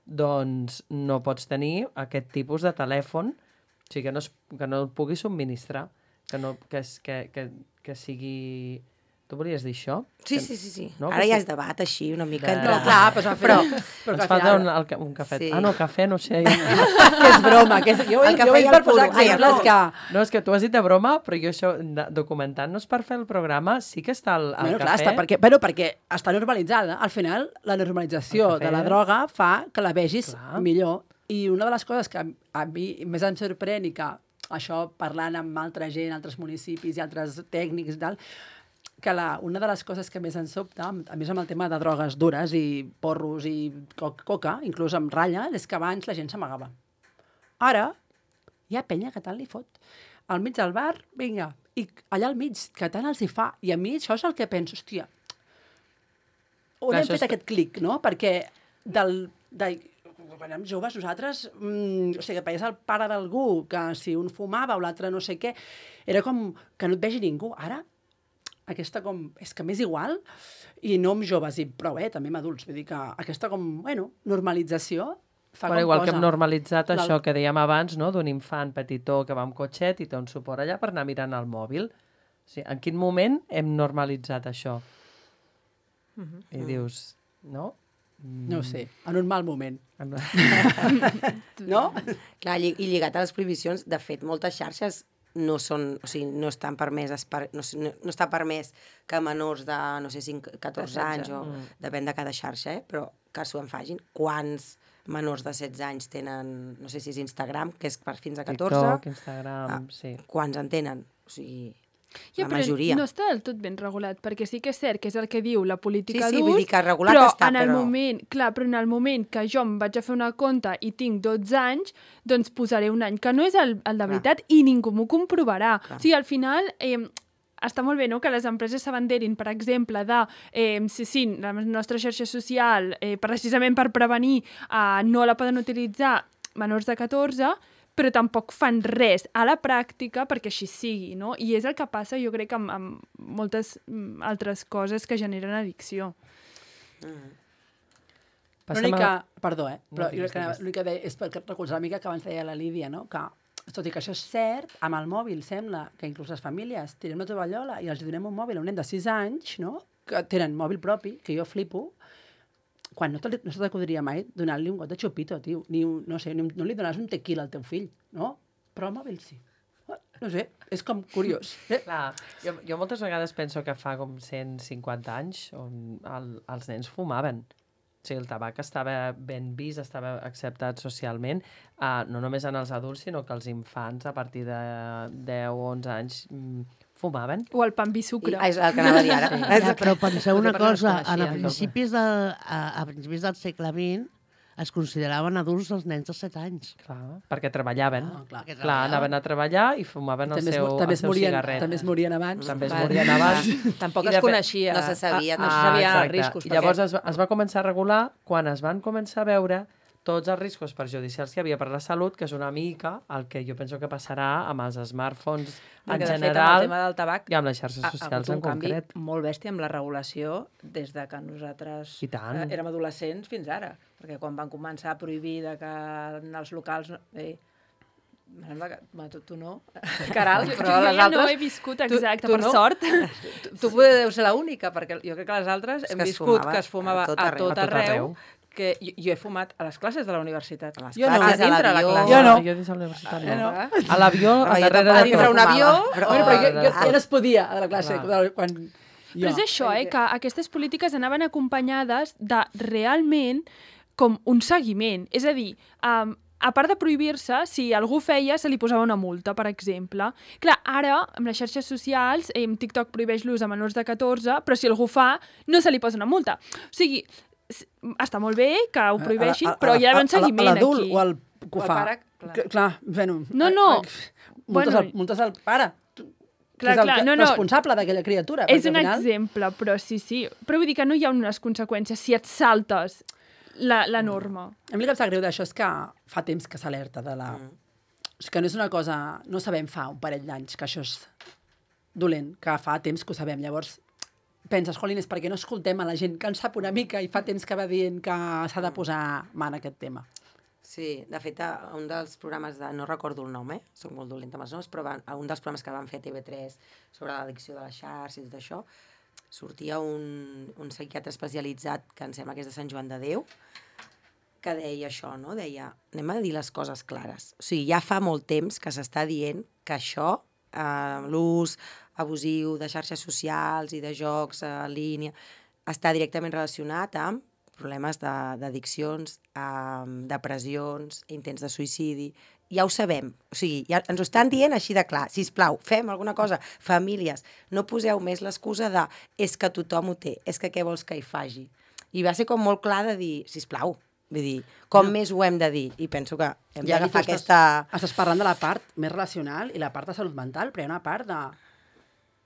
doncs no pots tenir aquest tipus de telèfon, o sigui, que no el pugui subministrar, que sigui... Tu volies dir això? Sí. No, Ara ja és debat així, una mica. No, clar, però ens falta un cafè. Sí. Ah, no, cafè, no sé. que és broma. Jo El cafè vull i el per posar puro. Ai, exemples no. que... No, és que tu has dit de broma, però jo això, documentant-nos per fer el programa, sí que està el Bueno, cafè. clar, perquè està normalitzada. Al final, la normalització El cafè. de la droga fa que la vegis Clar. millor. I una de les coses que a mi més em sorprèn i que això, parlant amb altra gent, altres municipis i altres tècnics i tal, que una de les coses que més ens sobta, a més amb el tema de drogues dures i porros i coca, inclús amb ratlla, és que abans la gent s'amagava. Ara, hi ha penya que tant li fot. Al mig del bar, vinga, i allà al mig, que tant els hi fa. I a mi això és el que penso, hòstia, on hem fet aquest clic, no? Perquè quan érem joves, nosaltres, o sigui, que veies el pare d'algú, que si un fumava o l'altre no sé què, era com que no et vegi ningú. Ara, aquesta com, és que m'és igual, i no amb joves, i prou, també amb adults. Vull dir que aquesta com, normalització fa com igual cosa. que hem normalitzat això que dèiem abans, no?, d'un infant petitó que va amb cotxet i té un suport allà per anar mirant el mòbil. O sigui, en quin moment hem normalitzat això? I dius, no? No ho sé, en un mal moment. No? Clar, i lligat a les prohibicions, de fet, moltes xarxes no són, o sigui, no estan permeses no està permès que menors de, no sé, 14 anys, o depèn de cada xarxa, però que s'ho en facin. Quants menors de 16 anys tenen, no sé si és Instagram, que és per fins a 14? TikTok, Instagram, sí. Quants en tenen? O sigui, Ja, la majoria. No està del tot ben regulat, perquè sí que és cert que és el que diu la política Sí, d'ús, vull dir que regulat però està, en el però... moment, clar, però en el moment que jo em vaig a fer una compte i tinc 12 anys, doncs posaré un any, que no és el de veritat, i ningú m'ho comprovarà. O sigui, al final... està molt bé, no?, que les empreses s'abanderin, per exemple, de la nostra xarxa social, precisament per prevenir, no la poden utilitzar menors de 14, però tampoc fan res a la pràctica perquè així sigui, no? I és el que passa, jo crec, amb moltes altres coses que generen addicció. Perdó, però l'únic que deia és perquè recolzar una mica que abans deia la Lídia, no?, que tot i que això és cert, amb el mòbil sembla que inclús les famílies tirem la tovallola i els donem un mòbil a un nen de 6 anys, no?, que tenen mòbil propi, que jo flipo, quan no se t'acudiria mai donar-li un got de xupito, tio. No li donaràs un tequila al teu fill, no? Però el mòbil sí. No sé, és com curiós. Clar, jo moltes vegades penso que fa com 150 anys on els nens fumaven. O sigui, el tabac estava ben vist, estava acceptat socialment, no només en els adults, sinó que els infants a partir de 10 o 11 anys fumaven. O el pa amb vi sucre. És el que anava a dir ara. Sí. Ja, però penseu una cosa, a principis del segle XX es consideraven adults els nens de 7 anys. Clar, perquè treballaven. Clar, anaven a treballar i fumaven el seu cigarret. També es morien abans. També es morien abans. Tampoc es coneixia. No se sabia. No se sabia els riscos. I llavors es va començar a regular quan es van començar a veure tots els riscos perjudicials que hi havia per la salut, que és una mica el que jo penso que passarà amb els smartphones en general, el tema del tabac, i amb les xarxes socials en concret. Ha hagut un canvi molt bèstia amb la regulació des de que nosaltres érem adolescents fins ara. Perquè quan van començar a prohibir que en els locals... Tu no, Caral, però les altres... Jo no he viscut, exacte, per sort. Tu deus ser l'única, perquè jo crec que les altres hem viscut que es fumava a tot arreu. Que jo he fumat a les classes de la universitat. A les classes, a l'avió. Jo no. Jo dins de la universitat no. A l'avió, a darrere de dintre un avió. Però jo no es podia a la classe. Quan... Però és això, que aquestes polítiques anaven acompanyades de realment com un seguiment. És a dir, a part de prohibir-se, si algú feia, se li posava una multa, per exemple. Clar, ara, amb les xarxes socials, TikTok prohibeix l'ús a menors de 14, però si algú fa, no se li posa una multa. O sigui, està molt bé que ho prohibeixin, però hi ha d'haver un seguiment aquí. L'adult o el que ho fa. Clar, bueno... No. Multes al pare. Clar, és el responsable d'aquella criatura. És un exemple, però sí. Però vull dir que no hi ha unes conseqüències si et saltes la norma. A mi el que em sap greu d'això és que fa temps que s'alerta de la... O sigui, que no és una cosa... No sabem fa un parell d'anys que això és dolent, que fa temps que ho sabem. Llavors, penses, jolín, és perquè no escoltem a la gent que en sap una mica i fa temps que va dient que s'ha de posar mà en aquest tema. Sí, de fet, un dels programes no recordo el nom, soc molt dolenta amb els noms, però un dels programes que van fer a TV3 sobre l'addicció de les xarxes i tot això, sortia un psiquiatre especialitzat, que em sembla que és de Sant Joan de Déu, que deia això, no? Deia, anem a dir les coses clares. O sigui, ja fa molt temps que s'està dient que això, l'ús abusiu de xarxes socials i de jocs en línia, està directament relacionat amb problemes d'addiccions, depressions, intents de suïcidi. Ja ho sabem. O sigui, ja ens ho estan dient així de clar. Sisplau, fem alguna cosa. Famílies, no poseu més l'excusa de és que tothom ho té, és que què vols que hi faci. I va ser com molt clar de dir, sisplau, vull dir, més ho hem de dir? I penso que hem d'agafar aquesta... Estàs parlant de la part més relacional i la part de salut mental, però hi ha una part de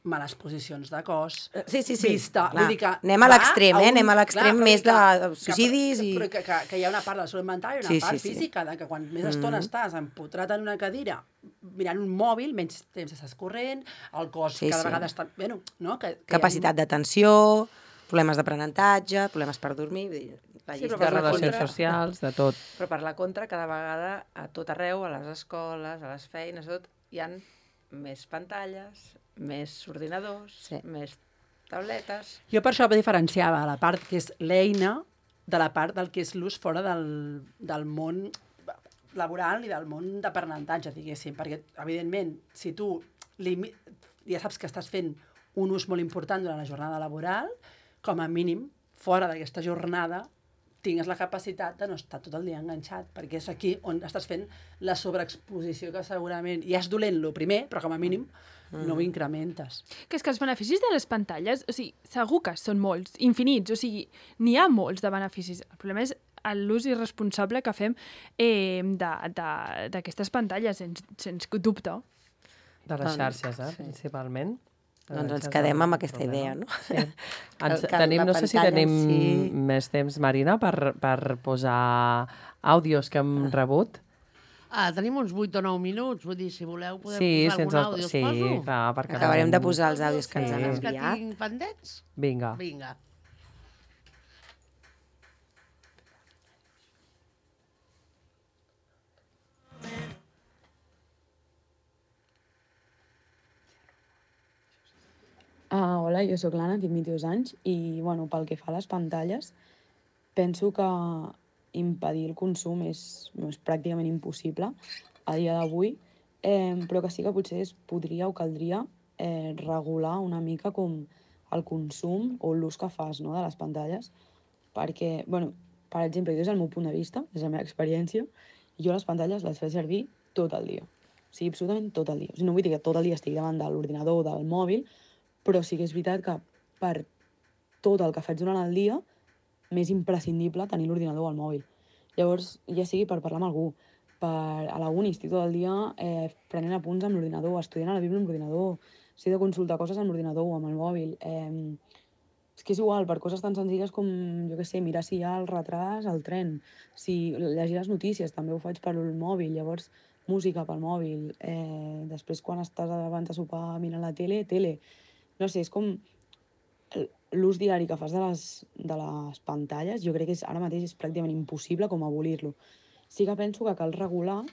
males posicions de cos, Sí, vista... clar. Vull dir que Anem a l'extrem, Anem a l'extrem més de suïcidis i... Però que hi ha una part de la salut mental i una part física, de que quan més estona estàs empotrat en una cadira mirant un mòbil, menys temps estàs corrent, el cos cada vegada està... Bueno, no? Capacitat d'atenció, problemes d'aprenentatge, problemes per dormir... De relacions socials, de tot. Però per la contra, cada vegada, a tot arreu, a les escoles, a les feines, a tot, hi ha més pantalles, més ordinadors, més tabletes... Jo per això diferenciava la part que és l'eina de la part del que és l'ús fora del món laboral i del món d'aprenentatge, diguéssim, perquè, evidentment, si tu ja saps que estàs fent un ús molt important durant la jornada laboral, com a mínim, fora d'aquesta jornada, tingues la capacitat de no estar tot el dia enganxat, perquè és aquí on estàs fent la sobreexposició que segurament ja és dolent lo primer, però com a mínim no ho incrementes. Que és que els beneficis de les pantalles, o sigui, segur que són molts, infinits, o sigui, n'hi ha molts de beneficis. El problema és l'ús irresponsable que fem d'aquestes pantalles, sens dubte. De les xarxes, principalment. Doncs ens quedem amb aquesta idea, no? Sí. No sé si tenim més temps, Marina, per posar àudios que hem rebut. Tenim uns 8 o 9 minuts, vull dir, si voleu podem posar algun àudio, us poso? Sí, clar, perquè... Acabarem de posar els àudios que ens han enviat. Que tinc pendents? Vinga. Hola, jo sóc l'Anna, tinc 22 anys i, bueno, pel que fa a les pantalles, penso que impedir el consum és pràcticament impossible a dia d'avui, però que sí que potser es podria o caldria regular una mica com el consum o l'ús que fas, no, de les pantalles, perquè, bueno, per exemple, jo és el meu punt de vista, és la meva experiència, jo les pantalles les faig servir tot el dia, o sigui, absolutament tot el dia. O sigui, no vull dir que tot el dia estigui davant de l'ordinador o del mòbil, però sí que és veritat que per tot el que faig durant el dia m'és imprescindible tenir l'ordinador o el mòbil. Llavors, ja sigui per parlar amb algú, a la uni estic tot el dia prenent apunts amb l'ordinador, estudiant a la Bíblia amb l'ordinador, si he de consultar coses amb l'ordinador o amb el mòbil. És que és igual, per coses tan senzilles com, jo què sé, mirar si hi ha el retras al tren, si llegir les notícies, també ho faig per el mòbil, llavors música pel mòbil, després quan estàs abans de sopar mirant la tele, no sé, és com l'ús diari que fas de les pantalles, jo crec que ara mateix és pràcticament impossible com abolir-lo. Sí que penso que cal regular,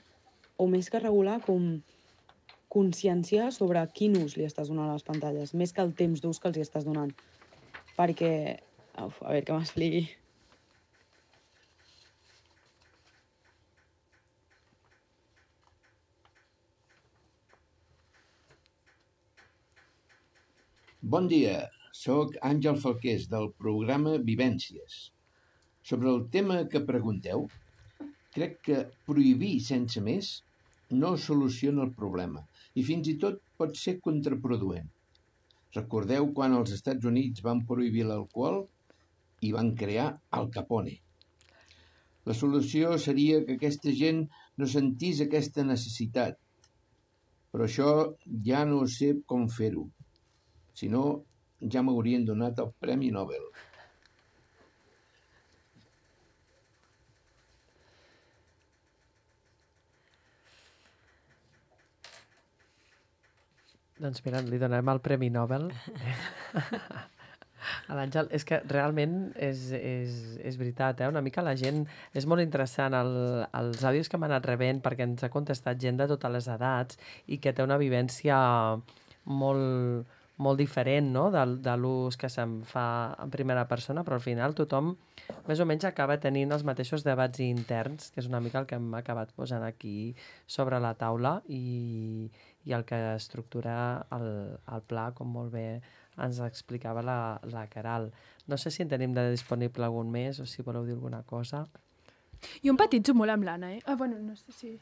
o més que regular, com conscienciar sobre quin ús li estàs donant a les pantalles, més que el temps d'ús que els hi estàs donant. Perquè, a veure que m'expliqui. Bon dia, sóc Àngel Falqués del programa Vivències. Sobre el tema que pregunteu, crec que prohibir sense més no soluciona el problema i fins i tot pot ser contraproduent. Recordeu quan als Estats Units van prohibir l'alcohol i van crear Al Capone. La solució seria que aquesta gent no sentís aquesta necessitat, però això ja no sé com fer-ho. Si no, ja m'haurien donat el Premi Nobel. Doncs mira, li donem el Premi Nobel a l'Àngel. És que realment és veritat, una mica la gent... És molt interessant els àudios que m'han anat rebent perquè ens ha contestat gent de totes les edats i que té una vivència molt diferent, no?, de l'ús que se'n fa en primera persona, però al final tothom més o menys acaba tenint els mateixos debats interns, que és una mica el que hem acabat posant aquí sobre la taula i el que estructura el pla, com molt bé ens explicava la Caral. No sé si en tenim de disponible algun més o si voleu dir alguna cosa. Jo empatitzo molt amb l'Anna, bueno, no sé si...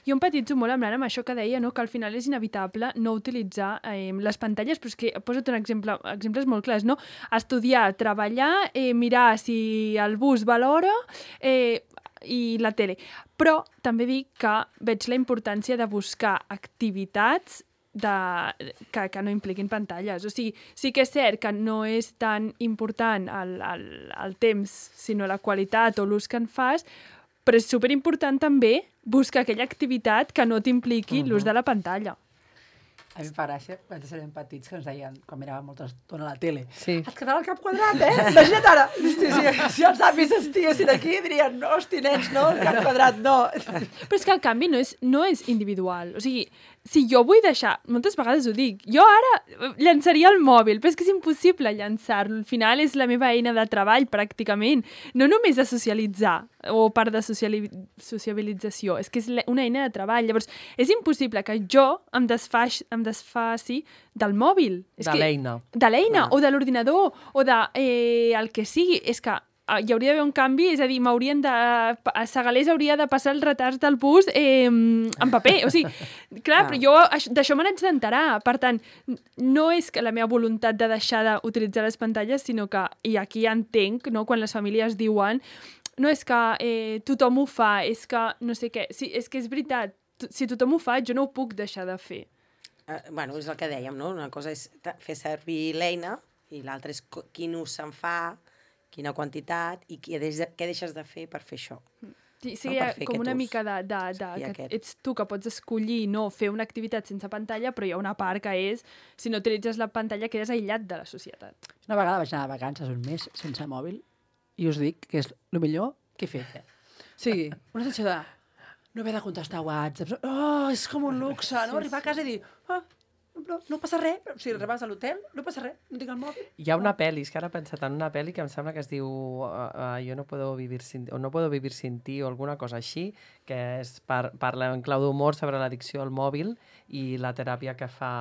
Jo empatitzo molt amb l'Anna amb això que deia, no? Que al final és inevitable no utilitzar les pantalles, però és que posa't un exemple, exemples molt clars, no? Estudiar, treballar, mirar si el bus va a l'hora i la tele. Però també dic que veig la importància de buscar activitats que no impliquin pantalles. O sigui, sí que és cert que no és tan important el temps, sinó la qualitat o l'ús que en fas, però és superimportant també buscar aquella activitat que no t'impliqui l'ús de la pantalla. A mi em fa gràcia, quan érem petits, que ens deien, quan miràvem molta estona a la tele, Sí. et quedarà el cap quadrat, Imagina't ara! Si els avis estiguessin aquí, dirien, no, hosti, nens, no, el cap quadrat, no. Però és que el canvi no és individual. O sigui, si jo vull deixar, moltes vegades ho dic, jo ara llançaria el mòbil, però és que és impossible llançar-lo. Al final és la meva eina de treball, pràcticament. No només de socialitzar o part de sociabilització, és que és una eina de treball. Llavors, és impossible que jo em desfaci del mòbil. De l'eina. De l'eina, o de l'ordinador, o de el que sigui. És que hi hauria d'haver un canvi, és a dir, a Segalés hauria de passar els retards del bus en paper. O sigui, clar, però jo d'això me n'haig d'enterar. Per tant, no és que la meva voluntat de deixar d'utilitzar les pantalles, sinó que, i aquí entenc, no, quan les famílies diuen no és que tothom ho fa, és que no sé què. Sí, és que és veritat, si tothom ho fa, jo no ho puc deixar de fer. Bueno, és el que dèiem, no? Una cosa és fer servir l'eina i l'altra és quin ús se'n fa, quina quantitat i què deixes de fer per fer això. Sí, hi ha com una mica que ets tu que pots escollir no fer una activitat sense pantalla, però hi ha una part que és, si no utilitzes la pantalla, quedes aïllat de la societat. Una vegada vaig anar de vacances un mes sense mòbil i us dic que és el millor que he fet. O sigui, una sensació de no haver de contestar whatsapps. Oh, és com un luxe, no? Arribar a casa i dir, no passa res. Si arribes a l'hotel, no passa res, no tinc el mòbil. Hi ha una pel·li, és que ara he pensat en una pel·li que em sembla que es diu Jo no puedo vivir sin ti o alguna cosa així, que parla en clau d'humor sobre l'addicció al mòbil i la teràpia que fa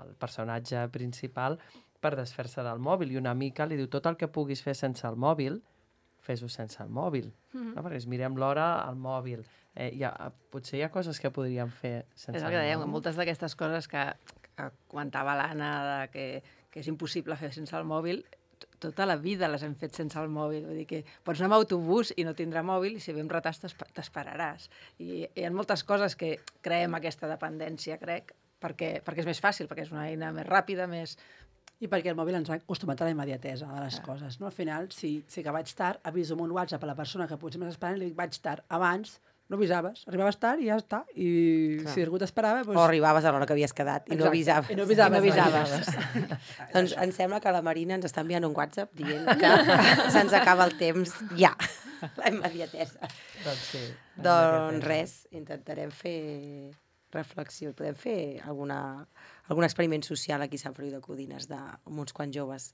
el personatge principal per desfer-se del mòbil. I una mica li diu tot el que puguis fer sense el mòbil, fes-ho sense el mòbil. No? Perquè mirem l'hora al mòbil. Potser hi ha coses que podríem fer sense el mòbil. És el que dèiem, moltes d'aquestes coses que comentava l'Anna, que és impossible fer sense el mòbil, tota la vida les hem fet sense el mòbil. Vull dir que pots anar amb autobús i no tindrà mòbil i si ve amb retards t'esperaràs. I hi ha moltes coses que creem aquesta dependència, crec, perquè és més fàcil, perquè és una eina més ràpida, més... I perquè el mòbil ens ha acostumat a la immediatesa de les coses. No? Al final, si que vaig tard, aviso amb un WhatsApp a la persona que potser m'està esperant i li dic vaig tard. Abans no avisaves, arribaves tard i ja està. I si algú t'esperava... Doncs... O arribaves a l'hora que havies quedat i no avisaves. I no avisaves. Doncs em sembla que la Marina ens està enviant un WhatsApp dient que se'ns acaba el temps ja. La immediatesa. Doncs sí. Doncs res, intentarem fer reflexió. Podem fer algun experiment social aquí a Sant Feliu de Codines amb uns quants joves.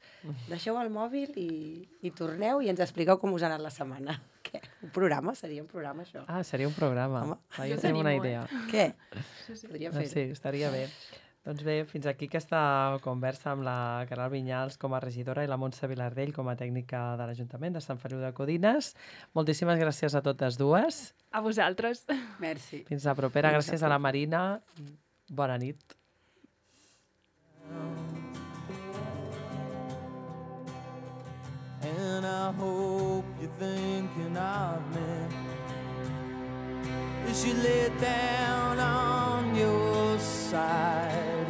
Deixeu el mòbil i torneu i ens expliqueu com us ha anat la setmana. Què? Un programa? Seria un programa, això? Ah, seria un programa. Jo tenim una idea. Què? Podríem fer-ho. Sí, estaria bé. Doncs bé, fins aquí aquesta conversa amb la Caral Vinyals com a regidora i la Montse Vilardell com a tècnica de l'Ajuntament de Sant Feliu de Codines. Moltíssimes gràcies a totes dues. A vosaltres. Merci. Fins la propera. Gràcies a la Marina. Bona nit. And I hope you're thinking of me as you lay down on your side.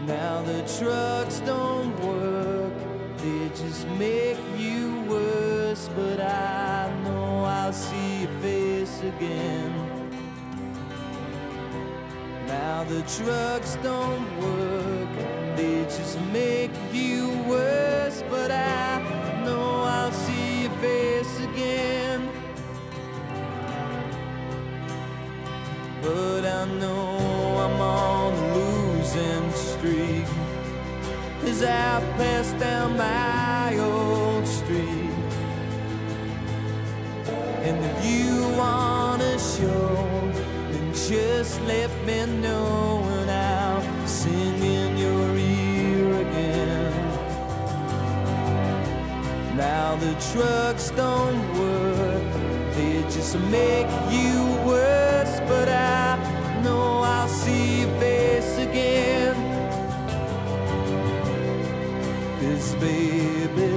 Now the trucks don't work, they just make you worse, but I know I'll see your face again. Now the trucks don't work, they just make you worse, but I know I'll see your face again. But I know I'm on a losing streak as I pass down my old street. And if you wanna show, then just let me know and I'll sing in your ear again. Now the trucks don't work, they just make you worse, but I know I'll see your face again. 'Cause baby,